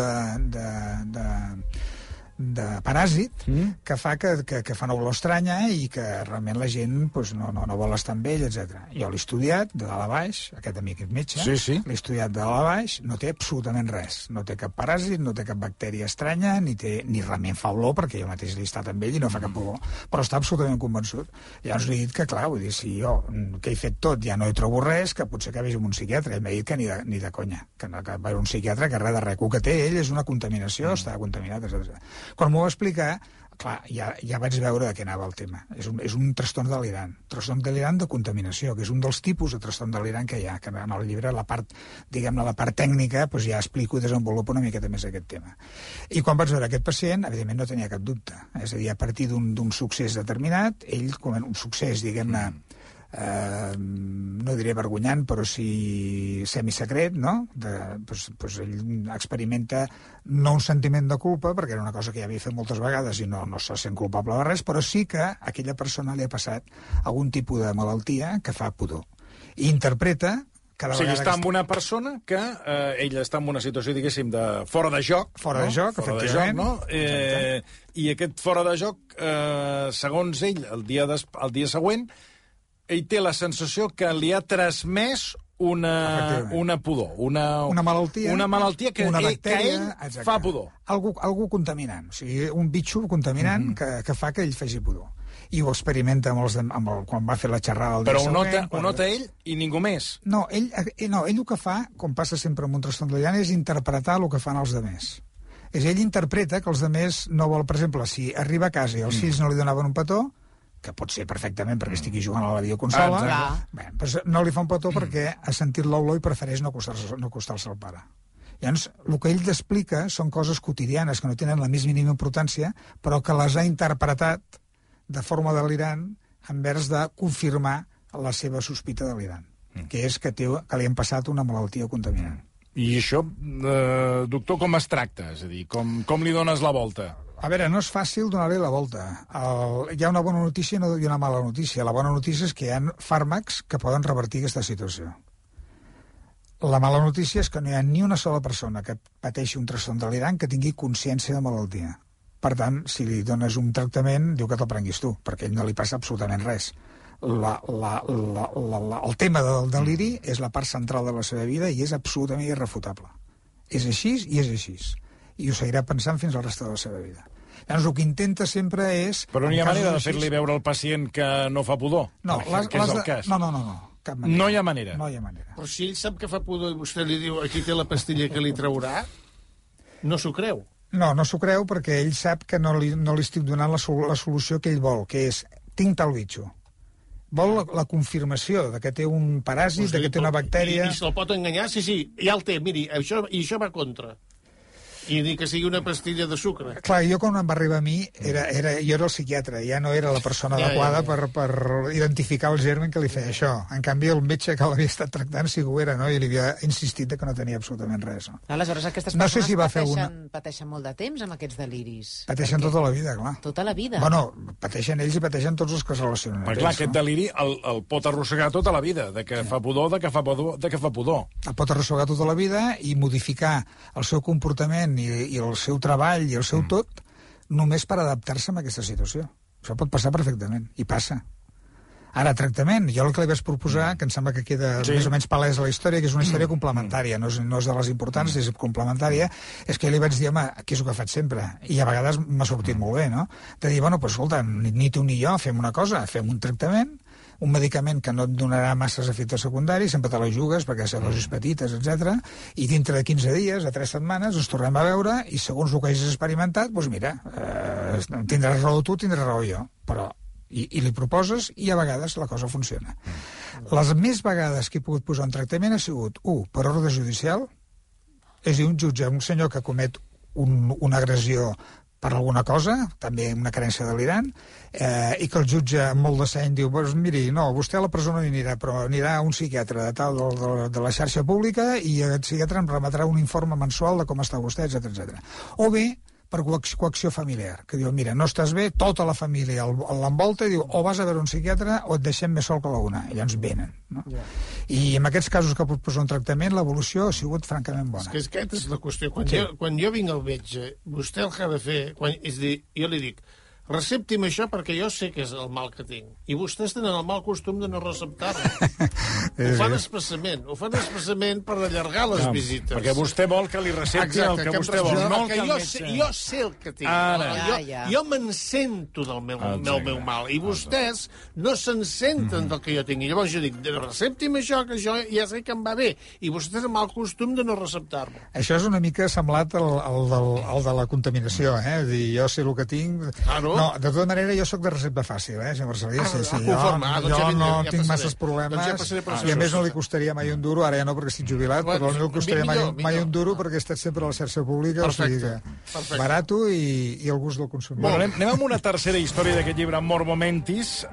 de paràsit que fa que fa una olor estranya i que realment la gent no vol estar amb ell, etc. Jo l'he estudiat de dalt a baix, aquest amic és metge, l'he estudiat de dalt a baix, no té absolutament res, no té cap paràsit, no té cap bactèria estranya, ni realment fa olor, perquè jo mateix l'he estat amb ell i no fa cap olor, però està absolutament convençut. Llavors li he dit que, clar, vull dir, si jo, que he fet tot, ja no hi trobo res, que potser que vagi amb un psiquiatre. Ell m'ha dit que ni de conya, que va a un psiquiatre, que res de res. El que té ell és una contaminació, està contaminat, etc. Quan m'ho va explicar, clar, ja vaig veure de què anava el tema. És un trastorn delirant de contaminació, que és un dels tipus de trastorn delirant que hi ha, que en el llibre, la part tècnica, ja explico i desenvolupo una miqueta més aquest tema. I quan vaig veure aquest pacient, evidentment no tenia cap dubte. És a dir, a partir d'un succés determinat, ell, un succés, diguem-ne, no diré vergonyant, però sí semisecret, no? Ell experimenta no un sentiment de culpa, perquè era una cosa que ja havia fet moltes vegades i no se sent culpable de res, però sí que a aquella persona li ha passat algun tipus de malaltia que fa pudor. I interpreta cada vegada... està amb una persona que ella està en una situació, diguéssim, de fora de joc. Fora de joc, efectivament. No? I aquest fora de joc, segons ell, el dia següent, ell té la sensació que li ha transmès una pudor, una malaltia que ell fa pudor. Algú contaminant, o sigui, un bitxo contaminant que fa que ell faci pudor. I ho experimenta quan va fer la xerrada el dia següent. Però ho nota ell i ningú més. No, ell el que fa, com passa sempre amb un trastorn delirant, és interpretar el que fan els demés. Ell interpreta que els demés no vol, per exemple, si arriba a casa i els fills no li donaven un petó, que pot ser perfectament perquè estigui jugant a la videoconsola, no li fa un petó perquè ha sentit l'olor i prefereix no acostar-se al pare. Llavors, el que ell explica són coses quotidianes que no tenen la més mínima importància, però que les ha interpretat de forma delirant envers de confirmar la seva sospita delirant, que és que li han passat una malaltia contaminant. I això, doctor, com es tracta? És a dir, com li dones la volta? A veure, no és fàcil donar-li la volta. Hi ha una bona notícia i una mala notícia. La bona notícia és que hi ha fàrmacs que poden revertir aquesta situació. La mala notícia és que no hi ha ni una sola persona que pateixi un trastorn delirant que tingui consciència de malaltia. Per tant, si li dones un tractament, diu que te'l prenguis tu, perquè a ell no li passa absolutament res. El tema del deliri és la part central de la seva vida i és absolutament irrefutable. És així i és així. I ho seguirà pensant fins al resta de la seva vida. Llavors, el que intenta sempre és... Però no hi ha manera de fer-li veure al pacient que no fa pudor? No, que és el cas. No, cap manera. No hi ha manera? No hi ha manera. Però si ell sap que fa pudor i vostè li diu aquí té la pastilla que li traurà, no s'ho creu. No s'ho creu perquè ell sap que no li estic donant la solució que ell vol, que és, tinc tal bitxo. Vol la confirmació de que té un paràsit, de que té una bactèria... I se'l pot enganyar? Sí, ja el té, miri, això va contra. I dir que sigui una pastilla de sucre. Clar, jo quan em va arribar a mi, jo era el psiquiatre, ja no era la persona adequada per identificar el germen que li feia això. En canvi, el metge que l'havia estat tractant sí que ho era, no? I li havia insistit que no tenia absolutament res. No? Aleshores, aquestes persones pateixen molt de temps amb aquests deliris. Pateixen tota la vida, clar. Tota la vida? Bueno, pateixen ells i pateixen tots els que es relacionen. Però clar, aquest deliri el pot arrossegar tota la vida, de que fa pudor, de que fa pudor. El pot arrossegar tota la vida i modificar el seu comportament i el seu treball i el seu tot només per adaptar-se a aquesta situació. Això pot passar perfectament, i passa. Ara, tractament, jo el que li vaig proposar, que em sembla que queda més o menys palès a la història, que és una història complementària, no és de les importants, és complementària, és que li vaig dir, home, aquí és el que faig sempre, i a vegades m'ha sortit molt bé, no? De dir, bueno, pues, escolta, ni tu ni jo fem una cosa, fem un tractament, un medicament que no et donarà masses efectes secundaris, sempre te la jugues perquè ha dosis petites, etc. I dintre de 15 dies, a 3 setmanes, ens tornem a veure i segons el que hagis experimentat, doncs mira, tindràs raó tu, tindràs raó jo, però i li proposes i a vegades la cosa funciona. Les més vegades que he pogut posar un tractament ha sigut, per ordre judicial, és a dir, un jutge, un senyor que comet una agressió per alguna cosa, també una carència delirant, i que el jutge amb molt de seny diu, pues, miri, no, vostè a la presó no hi anirà, però anirà a un psiquiatre de la xarxa pública i el psiquiatre em remetrà un informe mensual de com està vostè, etc. O bé, per coacció familiar, que diu, mira, no estàs bé, tota la família l'envolta i diu, o vas a veure un psiquiatre o et deixem més sol que la una. I llavors venen. No? I en aquests casos que pot posar un tractament, l'evolució ha sigut francament bona. És que aquesta és la qüestió. Quan jo vinc al metge, vostè el que ha de fer, és dir, jo li dic, recepti'm això perquè jo sé que és el mal que tinc. I vostès tenen el mal costum de no receptar-lo. Ho fan expressament per allargar les visites. Perquè vostè vol que li recepti el que vostè vol. No el que el metge... Jo sé el que tinc. Jo me'n sento del meu mal. I vostès no se'n senten del que jo tinc. I llavors jo dic, recepti'm això, que jo ja sé que em va bé. I vostès tenen el mal costum de no receptar-lo. Això és una mica semblat al de la contaminació, És dir, jo sé el que tinc... No, de tota manera, jo sóc de recepta fàcil, senyor Marcelí. Jo no tinc masses problemes i a més no li costaria mai un duro, ara ja no perquè estic jubilat, però no li costaria mai un duro perquè he estat sempre a la xarxa pública, o sigui que barato i el gust del consumidor. Bueno, anem amb una tercera història d'aquest llibre, Morbo Mentis,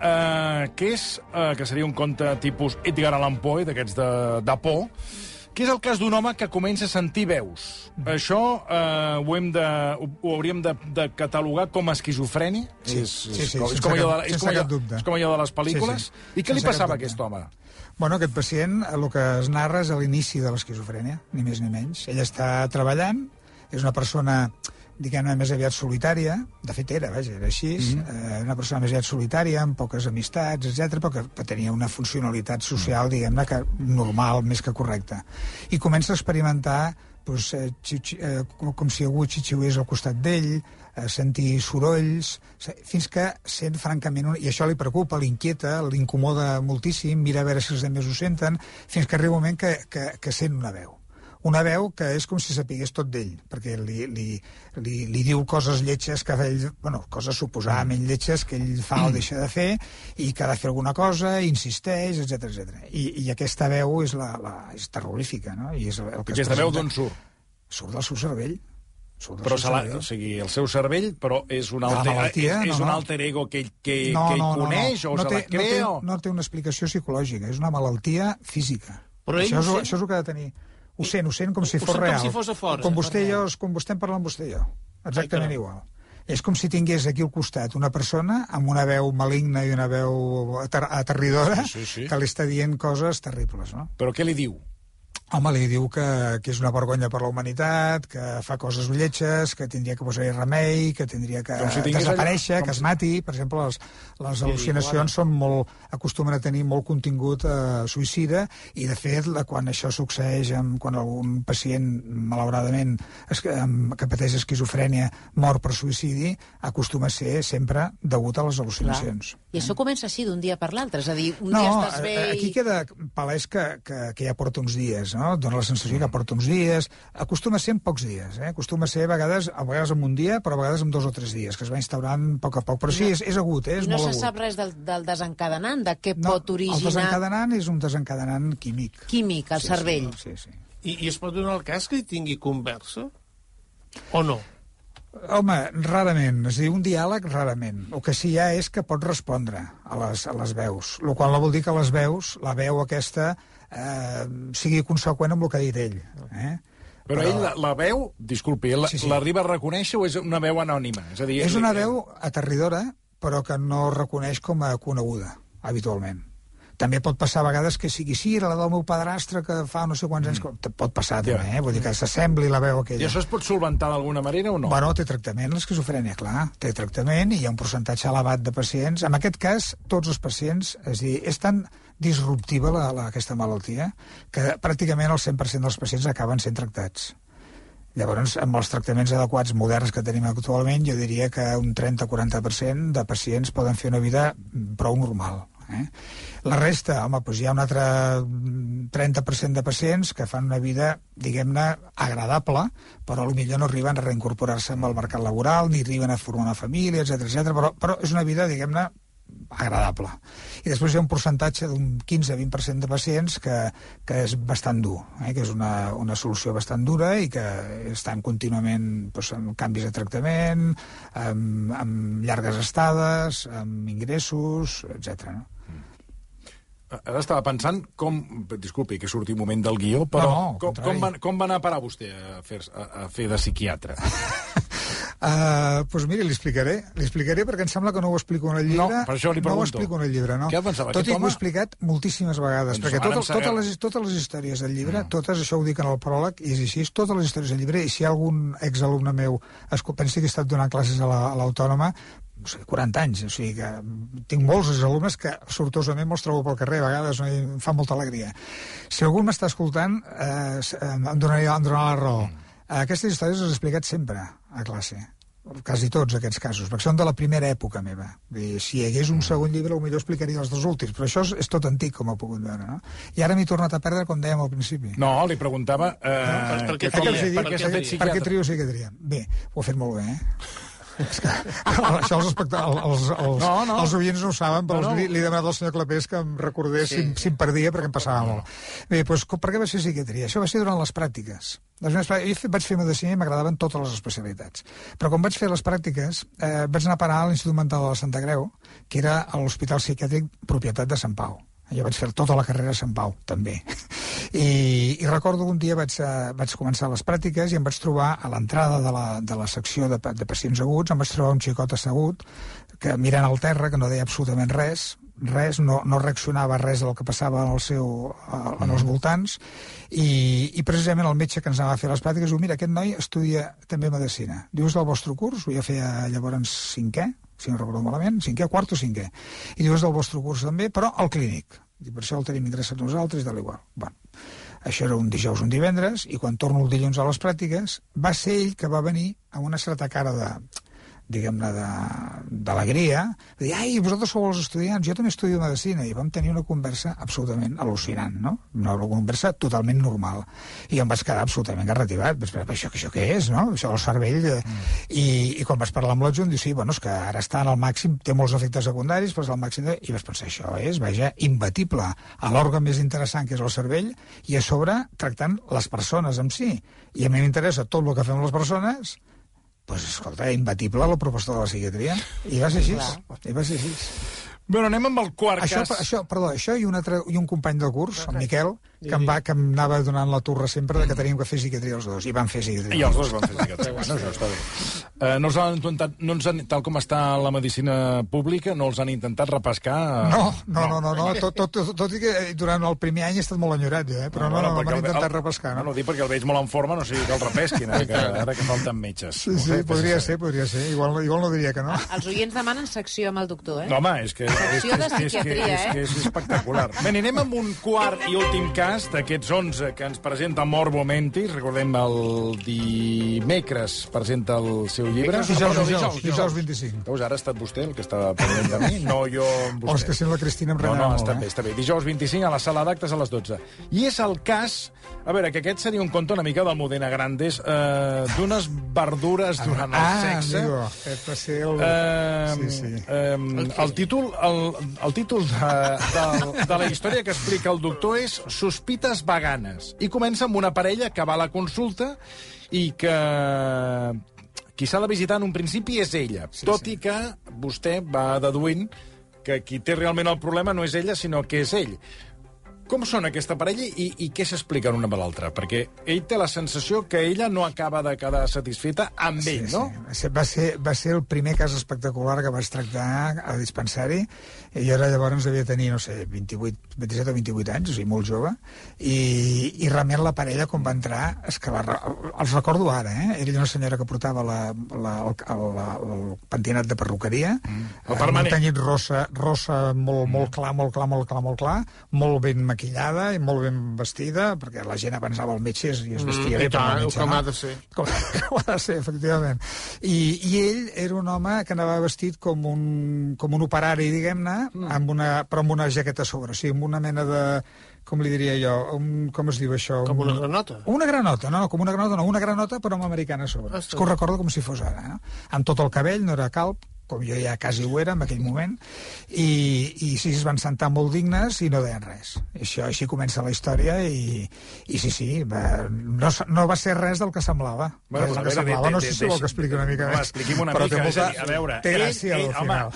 que seria un conte tipus Edgar Allan Poe, d'aquests de por, que és el cas d'un home que comença a sentir veus. Això ho hauríem de catalogar com a esquizofrènia? Sí, és com allò de les pel·lícules? I què li passava a aquest home? Bueno, aquest pacient, el que es narra és l'inici de l'esquizofrènia, ni més ni menys. Ell està treballant, és una persona, diguem-ne, més aviat solitària, de fet era així, una persona més aviat solitària, amb poques amistats, etc, però que tenia una funcionalitat social, diguem-ne, normal, més que correcta. I comença a experimentar com si algú xitxiués al costat d'ell, sentir sorolls, fins que sent francament... I això li preocupa, l'inquieta, l'incomoda moltíssim, mira a veure si els altres ho senten, fins que arriba un moment que sent una veu. Una veu que és com si sapigués tot d'ell, perquè li diu coses lletges que ell, coses suposadament lletges que ell fa o deixa de fer i que ha de fer alguna cosa, insisteix, etc. I aquesta veu és terrorífica, no? I és el que aquesta veu d'on surt? Surt del seu cervell. Però o sigui, el seu cervell, però és un alter ego que coneix o se la crea? No té una explicació psicològica, és una malaltia física. Això és el que ha de tenir. Ho sent com si fos real. Com si fos a fora. Com vostè i jo, com vostè en parla amb vostè i jo. Exactament igual. És com si tingués aquí al costat una persona amb una veu maligna i una veu aterridora que li està dient coses terribles, no? Però què li diu? Home, li diu que és una vergonya per la humanitat, que fa coses lletges, que tindria que posar-hi remei, que tindria que desaparèixer, que es mati. Per exemple, les al·lucinacions acostumen a tenir molt contingut suïcida, i de fet, quan això succeeix, quan algun pacient, malauradament, que pateix esquizofrènia, mor per suïcidi, acostuma a ser sempre degut a les al·lucinacions. I això comença així d'un dia per l'altre, és a dir, un dia estàs bé... No, aquí queda palès que ja porta uns dies, no? Dóna la sensació que porta uns dies. Acostuma a ser en pocs dies, acostuma a ser a vegades en un dia, però a vegades en 2 o 3 dies, que es va instaurant a poc a poc. Però sí, és agut, és molt agut. I no se sap res del desencadenant, de què pot originar... El desencadenant és un desencadenant químic. Químic, al cervell. Sí. I es pot donar el cas que hi tingui conversa? O no? Home, rarament. És a dir, un diàleg, rarament. El que sí hi ha és que pot respondre a les veus. El qual no vol dir que les veus, la veu aquesta, sigui conseqüent amb el que ha dit ell. Però ell, la veu, disculpi, l'arriba a reconèixer o és una veu anònima? És una veu aterridora, però que no reconeix com a coneguda, habitualment. També pot passar a vegades que sigui era la del meu padrastre que fa no sé quants anys... Pot passar també, vull dir que s'assembli la veu aquella. I això es pot solventar d'alguna manera o no? Bueno, té tractament, l'esquizofrènia, clar. Té tractament i hi ha un percentatge elevat de pacients. En aquest cas, tots els pacients, és dir, és tan disruptiva aquesta malaltia que pràcticament el 100% dels pacients acaben sent tractats. Llavors, amb els tractaments adequats moderns que tenim actualment, jo diria que un 30-40% de pacients poden fer una vida prou normal. La resta, home, doncs hi ha un altre 30% de pacients que fan una vida, diguem-ne, agradable, però potser no arriben a reincorporar-se amb el mercat laboral, ni arriben a formar una família, etc. Però és una vida, diguem-ne, agradable. I després hi ha un percentatge d'un 15-20% de pacients que és bastant dur, que és una solució bastant dura i que estan contínuament amb canvis de tractament, amb llargues estades, amb ingressos, etc. Ara estava pensant disculpi que surti un moment del guió, però com va anar a parar vostè a fer de psiquiatre? Doncs miri, li explicaré perquè em sembla que no ho explico en el llibre. No, per això li pregunto. No ho explico en el llibre, no. Què pensava? Tot i que ho he explicat moltíssimes vegades, perquè totes les històries del llibre, totes, això ho dic en el pròleg, i és així, totes les històries del llibre, i si hi ha algun exalumne meu pensi que he estat donant classes a l'Autònoma, no sé, 40 anys, o sigui que tinc molts alumnes que sortosament me'ls trobo pel carrer, a vegades em fa molta alegria. Si algú m'està escoltant, em donarà la raó. Aquestes històries les he explicat sempre a classe, quasi tots aquests casos, perquè són de la primera època meva. Si hi hagués un segon llibre, potser explicaria els dos últims, però això és tot antic, com ho pogut veure, no? I ara m'he tornat a perdre, com dèiem al principi. No, li preguntava... Per què trio psiquiatria? Bé, ho ha fet molt bé, És que això els oients no ho saben, però li he demanat al senyor Clapés que em recordés si em perdia, perquè em passava molt. Bé, doncs per què vaig fer psiquiatria? Això va ser durant les pràctiques. Jo vaig fer medicina i m'agradaven totes les especialitats. Però quan vaig fer les pràctiques vaig anar a parar a l'Institut Mental de la Santa Creu, que era a l'Hospital Psiquiàtric propietat de Sant Pau. Jo vaig fer tota la carrera a Sant Pau, també. I recordo que un dia vaig començar les pràctiques i em vaig trobar a l'entrada de la secció de pacients aguts, em vaig trobar un xicot assegut que mirant al terra, que no deia absolutament res, no reaccionava a res del que passava en els voltants, i precisament el metge que ens anava a fer les pràctiques diu, mira, aquest noi estudia també medicina. Diu, és del vostre curs? Jo feia llavors 5è, si no recordo malament, 5è, quart o 5è. I diu, és del vostre curs també, però al clínic. I per això el tenim ingressat nosaltres, de l'igual. Bueno, això era un dijous, un divendres, i quan torno el dilluns a les pràctiques, va ser ell que va venir amb una certa cara diguem-ne, d'alegria, de dir, ai, vosaltres sou els estudiants, jo també estudio medicina, i vam tenir una conversa absolutament al·lucinant, no? Una conversa totalment normal. I em vaig quedar absolutament garrativat. Vaig pensar, això què és, no? Això del cervell... I quan vaig parlar amb l'adjunt, diu, sí, bueno, és que ara està en el màxim, té molts efectes secundaris, però és el màxim I vaig pensar, això és, vaja, imbatible a l'òrgan més interessant, que és el cervell, i a sobre tractant les persones en si. I a mi m'interessa tot el que fem les persones. Doncs, escolta, imbatible la proposta de la psiquiatria. I va ser així. Bueno, anem amb el quart cas. Això i un company del curs, el Miquel, que em anava donant la turra sempre que teníem que fer psiquiatria els dos. I van fer psiquiatria. I els dos van fer psiquiatria. Bueno, això està bé. Tal com està la medicina pública, no els han intentat repescar? No. Tot i que durant el primer any he estat molt enyorat, però no m'han intentat repescar. No, dic perquè el veig molt en forma, no sigui que el repesquin, ara que falten metges. Sí, podria ser. Igual no diria que no. Els oients demanen secció amb el doctor, No, home, és que secció de psiquiatria, és espectacular. Bé, anirem amb un quart i últim cas d'aquests 11 que ens presenta Morbo Mentis. Recordem, el dimecres presenta el seu llibre. Dijous 25. Veus, ara ha estat vostè el que estava pendent de mi, no jo amb vostè. És que sent la Cristina em renava molt. Està bé. Dijous 25 a la sala d'actes a les 12. I és el cas... A veure, que aquest seria un conte una mica del Modena Grandes, d'unes verdures durant el sexe. Amigo, aquest va ser el títol de la història que explica el doctor és Sospites veganes. I comença amb una parella que va a la consulta i que qui s'ha de visitar en un principi és ella, tot i que vostè va deduint que qui té realment el problema no és ella, sinó que és ell. Com són aquesta parella i què s'expliquen una amb l'altra? Perquè ell té la sensació que ella no acaba de quedar satisfeta amb ell, no? Sí. Va ser el primer cas espectacular que vaig tractar a dispensari. Jo era llavors devia tenir, no sé, 27 o 28 anys, o sigui, molt jove, i realment la parella, com va entrar, és que els recordo ara, Era una senyora que portava el pentinat de perruqueria, un tenyit rosa molt clar, molt ben maquillada i molt ben vestida, perquè la gent abans anava al metge i es vestia bé per anar al metge. Com ha de ser. Com ha de ser, efectivament. I ell era un home que anava vestit com un operari, diguem-ne, però amb una jaqueta a sobre, o sigui, amb una mena de... com li diria jo, com es diu això? Com una granota? Una granota, una granota però amb americana a sobre. És que ho recordo com si fos ara, amb tot el cabell, no era calb, com jo ja quasi ho era en aquell moment, i sí, es van sentar molt dignes i no deien res. Així comença la història i sí, no va ser res del que semblava. No sé si vol que expliqui una mica més. Expliqui'm una mica, a veure... Té gràcia al final.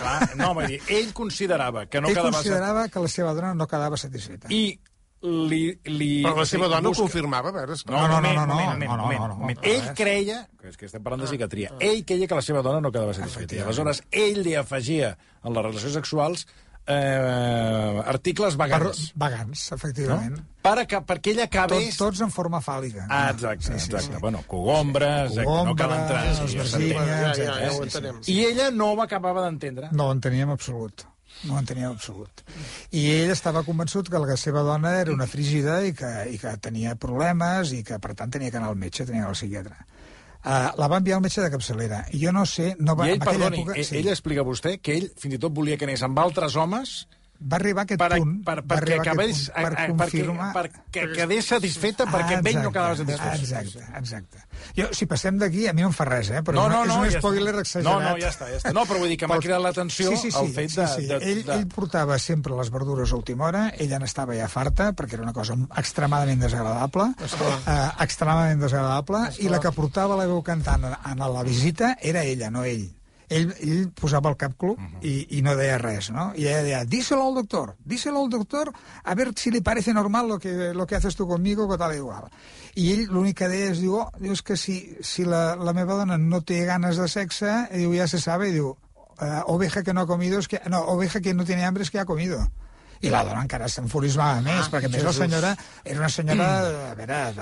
Ell considerava que no quedava... Ell considerava que la seva dona no quedava satisfeta. Però la seva dona ho confirmava, a veure... No. Ell creia, és que estem parlant de psiquiatria, ell creia que la seva dona no quedava satisfeta. I aleshores ell li afegia en les relacions sexuals articles vagants. Vagants, efectivament. Perquè ella acabés... Tots en forma fàl·lica. Exacte. Bueno, cogombres, no cal entrar... Ja ho entenem. I ella no ho acabava d'entendre. No ho entenia en absolut. I ell estava convençut que la seva dona era una frígida i que tenia problemes i que, per tant, tenia que anar al metge, tenia que anar al psiquiatre. La va enviar al metge de capçalera. I jo no sé... I ell, perdoni, ell explica a vostè que ell fins i tot volia que anés amb altres homes... Va arribar a aquest punt. Perquè quedés satisfeta, perquè amb ell no quedava satisfeta. Exacte. Jo, si passem d'aquí, a mi no em fa res, però és un spoiler exagerat. No, ja està. No, però vull dir que m'ha cridat l'atenció el fet de... Ell portava sempre les verdures a última hora, ella n'estava ja farta, perquè era una cosa extremadament desagradable, i la que portava la veu cantant a la visita era ella, no ell. Ell posava el cap club i no deia res, no? I ella deia, díselo al doctor, a ver si le parece normal lo que haces tú conmigo, que tal igual. I ell l'únic que deia és que si la meva dona no té ganes de sexe, diu, ja se sabe, diu, oveja que no ha comido, oveja que no tiene hambre es que ha comido. I la dona encara s'enfurismava més, perquè més la senyora era una senyora, a veure,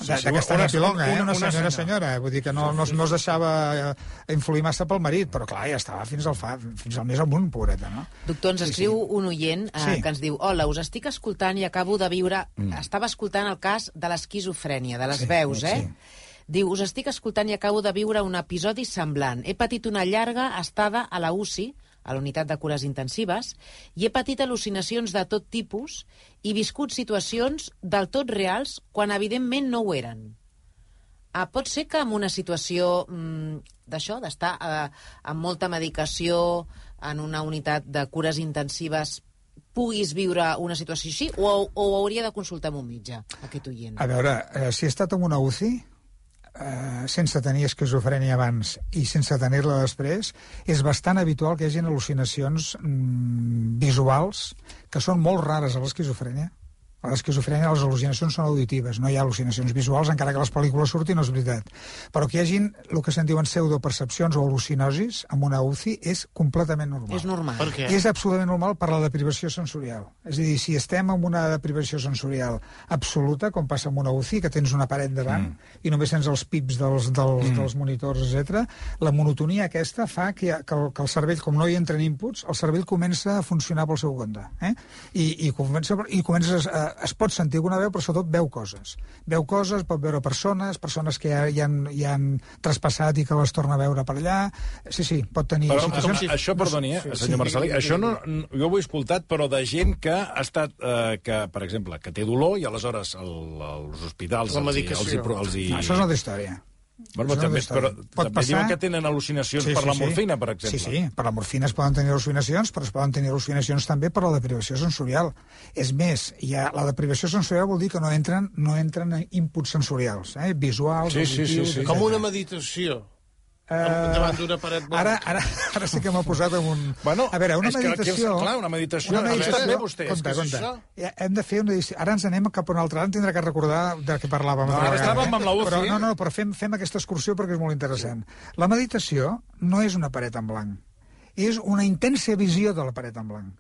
d'aquesta pilonga, una senyora, vull dir que no es deixava influir massa pel marit, però clar, ja estava fins al més amunt, pobreta, no? Doctor, ens escriu un oient que ens diu, hola, us estic escoltant i acabo de viure... Estava escoltant el cas de l'esquizofrènia, de les veus, Diu, us estic escoltant i acabo de viure un episodi semblant. He patit una llarga estada a la UCI, a la unitat de cures intensives, i he patit al·lucinacions de tot tipus i viscut situacions del tot reals quan evidentment no ho eren. Pot ser que en una situació d'això, d'estar amb molta medicació en una unitat de cures intensives, puguis viure una situació així, o hauria de consultar amb un metge, aquest oient? A veure, si he estat en una UCI, sense tenir esquizofrènia abans i sense tenir-la després, és bastant habitual que hi hagi al·lucinacions visuals que són molt rares a l'esquizofrènia. A l'esquizofrènia les al·lucinacions són auditives, no hi ha al·lucinacions visuals, encara que les pel·lícules surtin, no és veritat. Però que hi hagin el que se'n diuen pseudopercepcions o al·lucinosis amb una UCI és completament normal. És normal. Per què? És absolutament normal per la deprivació sensorial. És a dir, si estem en una deprivació sensorial absoluta, com passa amb una UCI, que tens una paret davant i només tens els pips dels monitors, etc., la monotonia aquesta fa que el cervell, com no hi entren inputs, el cervell comença a funcionar pel seu compte. I comences es pot sentir alguna veu, però sobretot veu coses. Veu coses, pot veure persones que ja han traspassat i que les torna a veure per allà. Sí, pot tenir situacions... Això, perdoni, senyor Marcelí, això jo ho he escoltat, però de gent que ha estat, per exemple, que té dolor i aleshores als hospitals els hi... Això és una altra història. Bueno, també diuen que tenen al·lucinacions per la morfina, per exemple. Sí, per la morfina es poden tenir al·lucinacions, però es poden tenir al·lucinacions també per la deprivació sensorial. És més, la deprivació sensorial vol dir que no entren inputs sensorials, visuals, auditius... Com una meditació. davant d'una paret blanca. Ara sí que m'ha posat en un... Bueno, a veure, una meditació... Clar, una meditació. També vostè. Compte. Hem de fer una edició. Ara ens anem cap a un altre. Ara tindrà que recordar de què parlàvem. Ara estàvem amb la UCI. Però fem aquesta excursió perquè és molt interessant. La meditació no és una paret en blanc. És una intensa visió de la paret en blanc.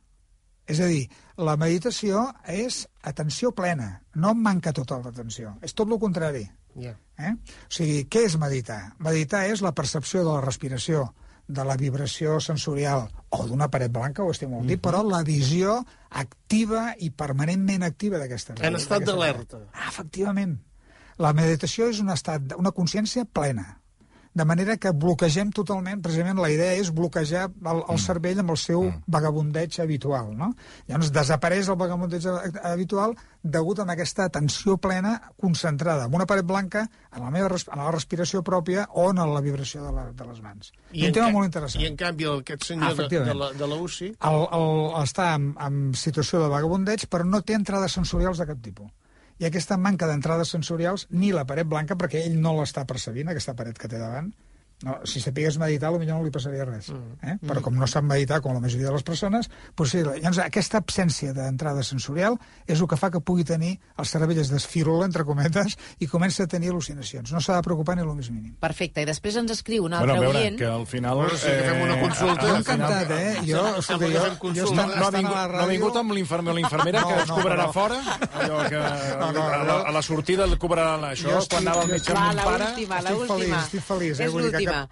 És a dir, la meditació és atenció plena. No em manca tota l'atenció. És tot el contrari. O sigui, què és meditar? Meditar és la percepció de la respiració, de la vibració sensorial, o d'una paret blanca, ho estem molt dit, però la visió activa i permanentment activa d'aquesta paret. En estat d'alerta. Efectivament. La meditació és un estat, una consciència plena. De manera que bloquegem totalment, precisament la idea és bloquejar el cervell amb el seu vagabundeig habitual, no? Llavors desapareix el vagabundeig habitual degut a aquesta atenció plena concentrada en una paret blanca, en la respiració pròpia o en la vibració de les mans. I un tema molt interessant. I en canvi aquest senyor de la UCI... Està en situació de vagabundeig, però no té entrades sensorials de cap tipus. I aquesta manca d'entrades sensorials, ni la paret blanca, perquè ell no l'està percebint, aquesta paret que té davant. No, si sapigués meditar, potser no li passaria res. Però com no sap meditar, com la majoria de les persones, doncs sí, llavors aquesta absència d'entrada sensorial és el que fa que pugui tenir el cervell es desfirula, entre cometes, i comença a tenir al·lucinacions. No s'ha de preocupar ni el més mínim. Perfecte, i després ens escriu un altre oient... que al final... Sí, que fem una consulta. Jo encantat, Jo no ha vingut amb l'infermer o l'infermera que ens cobrarà fora? Allò que a la sortida el cobraran això, quan anava al metge amb un pare... Estic feliç, vull dir que ha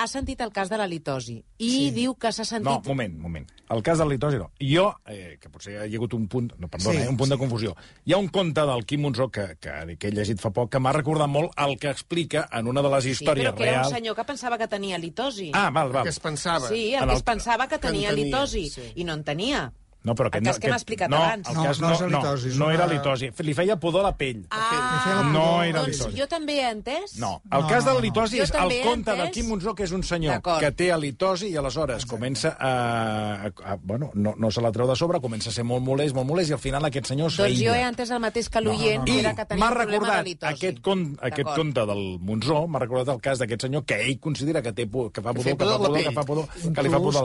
sentit el cas de la litosi i diu que s'ha sentit... No, moment. El cas de la litosi no. Jo, que potser hi ha hagut un punt... No, perdona, un punt de confusió. Hi ha un conte del Quim Monzó que he llegit fa poc que m'ha recordat molt el que explica en una de les històries reals... Sí, però que era un senyor que pensava que tenia litosi. Ah, val. Que es pensava. Sí, el que es pensava que tenia litosi i no en tenia. No, però el cas que m'ha explicat abans. No era litosi. Li feia pudor a la pell. No era litosi. Jo també he entès? No, el cas de la litosi és el conte del Quim Monzó, que és un senyor que té litosi i aleshores comença a... Bueno, no se la treu de sobre, comença a ser molt molest, i al final aquest senyor s'aïlla. Doncs jo he entès el mateix que l'oient, que era que tenia un problema de litosi. Aquest conte del Monzó m'ha recordat el cas d'aquest senyor que ell considera que fa pudor, que li fa pudor a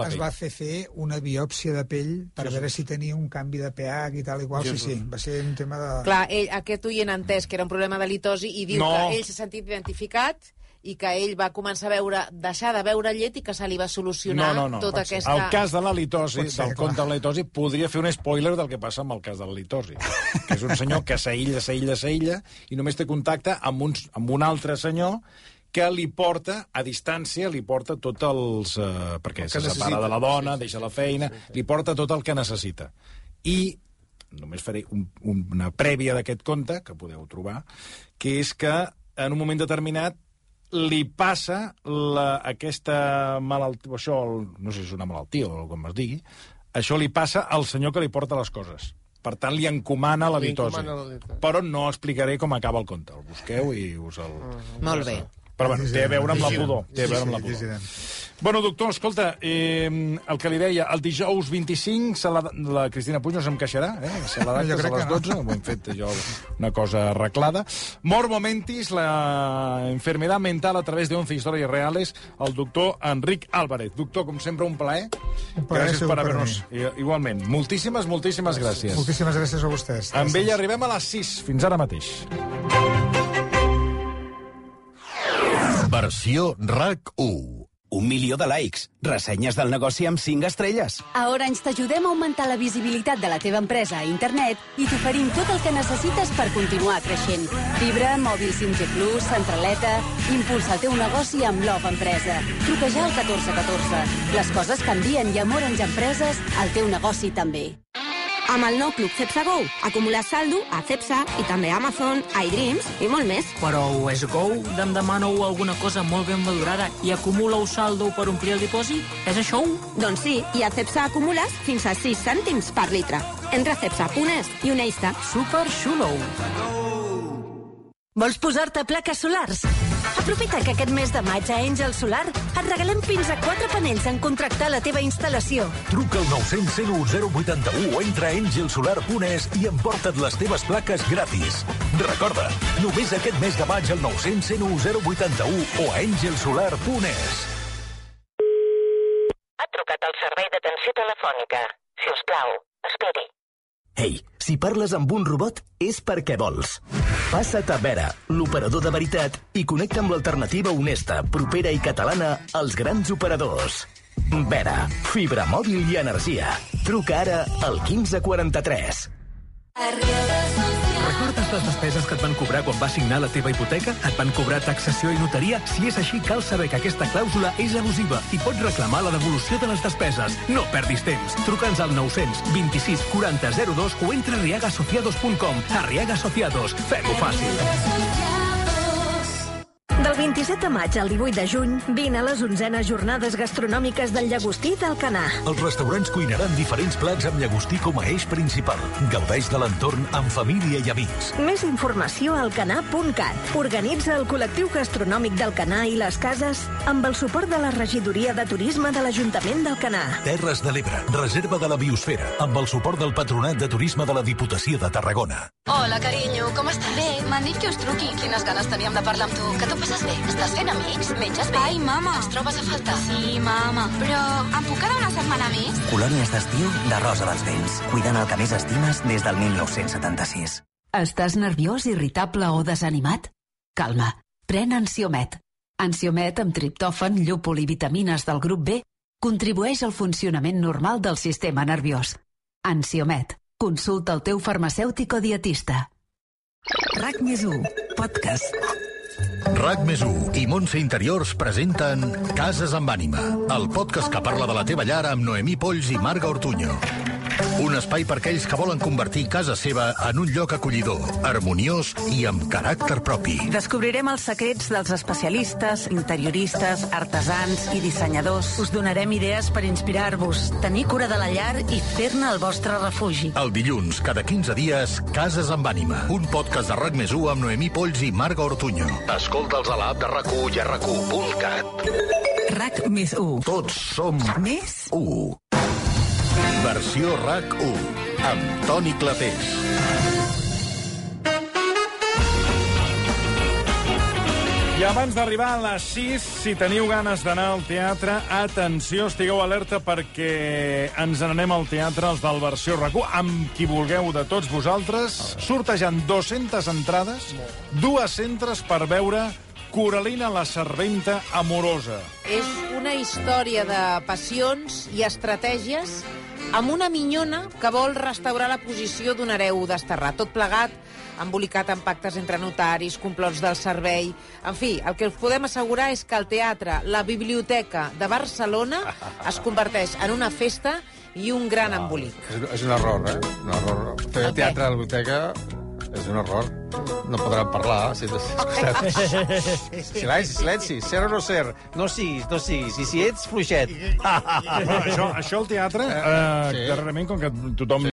la pell. Es va fer una biòpsia de pell per veure si tenia un canvi de pH i tal i qual, sí. Va ser un tema de... Clar, aquest oient ha entès que era un problema de litosi i diu que ell s'ha sentit identificat i que ell va començar a deixar de beure llet i que se li va solucionar tota aquesta... El cas de la litosi, del conte de la litosi, podria fer un spoiler del que passa amb el cas de la litosi, que és un senyor que s'aïlla i només té contacte amb un altre senyor que li porta, a distància, tots els... perquè se separa de la dona, deixa la feina, li porta tot el que necessita. I només faré una prèvia d'aquest conte, que podeu trobar, que és que en un moment determinat li passa aquesta malaltia, això, no sé si és una malaltia o com es digui, això li passa al senyor que li porta les coses. Per tant, li encomana la litosi. Però no explicaré com acaba el conte. El busqueu i us el... Molt bé. Però bueno, té a veure amb la pudor. Bueno, doctor, escolta, el que li deia, el dijous 25 la Cristina Puig no se'm queixarà, se la d'actes a les 12, ho hem fet jo una cosa arreglada. Morbo Mentis, la enfermedad mental a través de 11 historias reales, el doctor Enric Álvarez. Doctor, com sempre, un plaer. Gràcies per haver-nos... Igualment. Moltíssimes gràcies. Moltíssimes gràcies a vostès. Amb ella arribem a les 6. Fins ara mateix. Versió RAC1. 1 milió de likes, ressenyes del negoci amb 5 estrelles. A Orange t'ajudem a augmentar la visibilitat de la teva empresa a internet i t'oferim tot el que necessites per continuar creixent. Fibra, mòbil 5G+, centraleta... Impulsa el teu negoci amb Love Empresa. Truca ja al 1414. Les coses canvien i amb Orange Empreses el teu negoci també. Amb el nou Club Cepsa Go, acumular saldo a Cepsa i també a Amazon, iDreams i molt més. Però és Go? Em demaneu alguna cosa molt ben valorada i acumuleu saldo per omplir el dipòsit? És això? Doncs sí, i a Cepsa acumules fins a 6 cèntims per litre. Entra a cepsa.es i uneix-te. Super xulo! Vols posar-te plaques solars? Aprofita que aquest mes de maig a Àngel Solar et regalem fins a 4 panells en contractar la teva instal·lació. Truca al 900 101 081 o entra a angelsolar.es i emporta't les teves plaques gratis. Recorda, només aquest mes de maig al 900 101 081 o a angelsolar.es. Ha trucat al servei d'atenció telefònica. Si us plau, esperi. Ei, si parles amb un robot és perquè vols. Passa't a Vera, l'operador de veritat, i connecta amb l'alternativa honesta, propera i catalana als grans operadors. Vera, fibra mòbil i energia. Truca ara al 1543. Recordes les despeses que et van cobrar quan vas signar la teva hipoteca? Et van cobrar taxació i notaria? Si és així, cal saber que aquesta clàusula és abusiva i pots reclamar la devolució de les despeses. No perdis temps. Truca'ns al 900 26 40 02 o entra a arriagasociados.com. Arriaga Asociados. Fem-ho fàcil. Del 27 de maig al 18 de juny, vine a les 11enes jornades gastronòmiques del Llagostí d'Alcanar. Els restaurants cuinaran diferents plats amb llagostí com a eix principal. Gaudeix de l'entorn amb família i amics. Més informació a alcanar.cat. Organitza el col·lectiu gastronòmic d'Alcanar i les Cases amb el suport de la Regidoria de Turisme de l'Ajuntament d'Alcanar. Terres de l'Ebre, reserva de la biosfera, amb el suport del Patronat de Turisme de la Diputació de Tarragona. Hola, carinyo, com estàs? Bé, m'han dit que us truqui. Quines ganes teníem de parlar amb tu. Que tu passes bé? Estàs fent amics? Menges bé? Ai, mama. Ens trobes a faltar? Sí, mama. Però em puc quedar una setmana més? Colònies d'estiu de Rosa dels Vents. Cuidant el que més estimes des del 1976. Estàs nerviós, irritable o desanimat? Calma, pren Ansiomet. Ansiomet amb triptòfan, llúpol i vitamines del grup B contribueix al funcionament normal del sistema nerviós. Ansiomet. Consulta el teu farmacèutic o dietista. RAC+1, podcast. RAC+1 i Montse Interiors presenten Cases amb ànima, el podcast que parla de la teva llar amb Noemí Polls i Marga Ortuño. Un espai per aquells que volen convertir casa seva en un lloc acollidor, harmoniós i amb caràcter propi. Descobrirem els secrets dels especialistes, interioristes, artesans i dissenyadors. Us donarem idees per inspirar-vos, tenir cura de la llar i fer-ne el vostre refugi. El dilluns, cada 15 dies, Cases amb ànima, un podcast de RAC+1 amb Noemí Polls i Marga Ortuño. Escolta'ls a l'app de RAC1 i a RAC1.cat. RAC+1. Tots som més 1. Versió RAC1, amb Toni Clapés. I abans d'arribar a les 6, si teniu ganes d'anar al teatre, atenció, estigueu alerta perquè ens n'anem al teatre, els del Versió RAC1, amb qui vulgueu de tots vosaltres, sortejant 200 entrades, 200 per veure Coralina la serventa amorosa. És una història de passions i estratègies amb una minyona que vol restaurar la posició d'un hereu desterrat. Tot plegat, embolicat en pactes entre notaris, complots del servei... En fi, el que us podem assegurar és que el teatre, la Biblioteca de Barcelona, es converteix en una festa i un gran embolic. És un error, eh? Un error. Fer teatre a la biblioteca és un error. No podran parlar. Silenci. Ser o no ser. No siguis. I si ets fluixet. Això al teatre, darrerament, com que tothom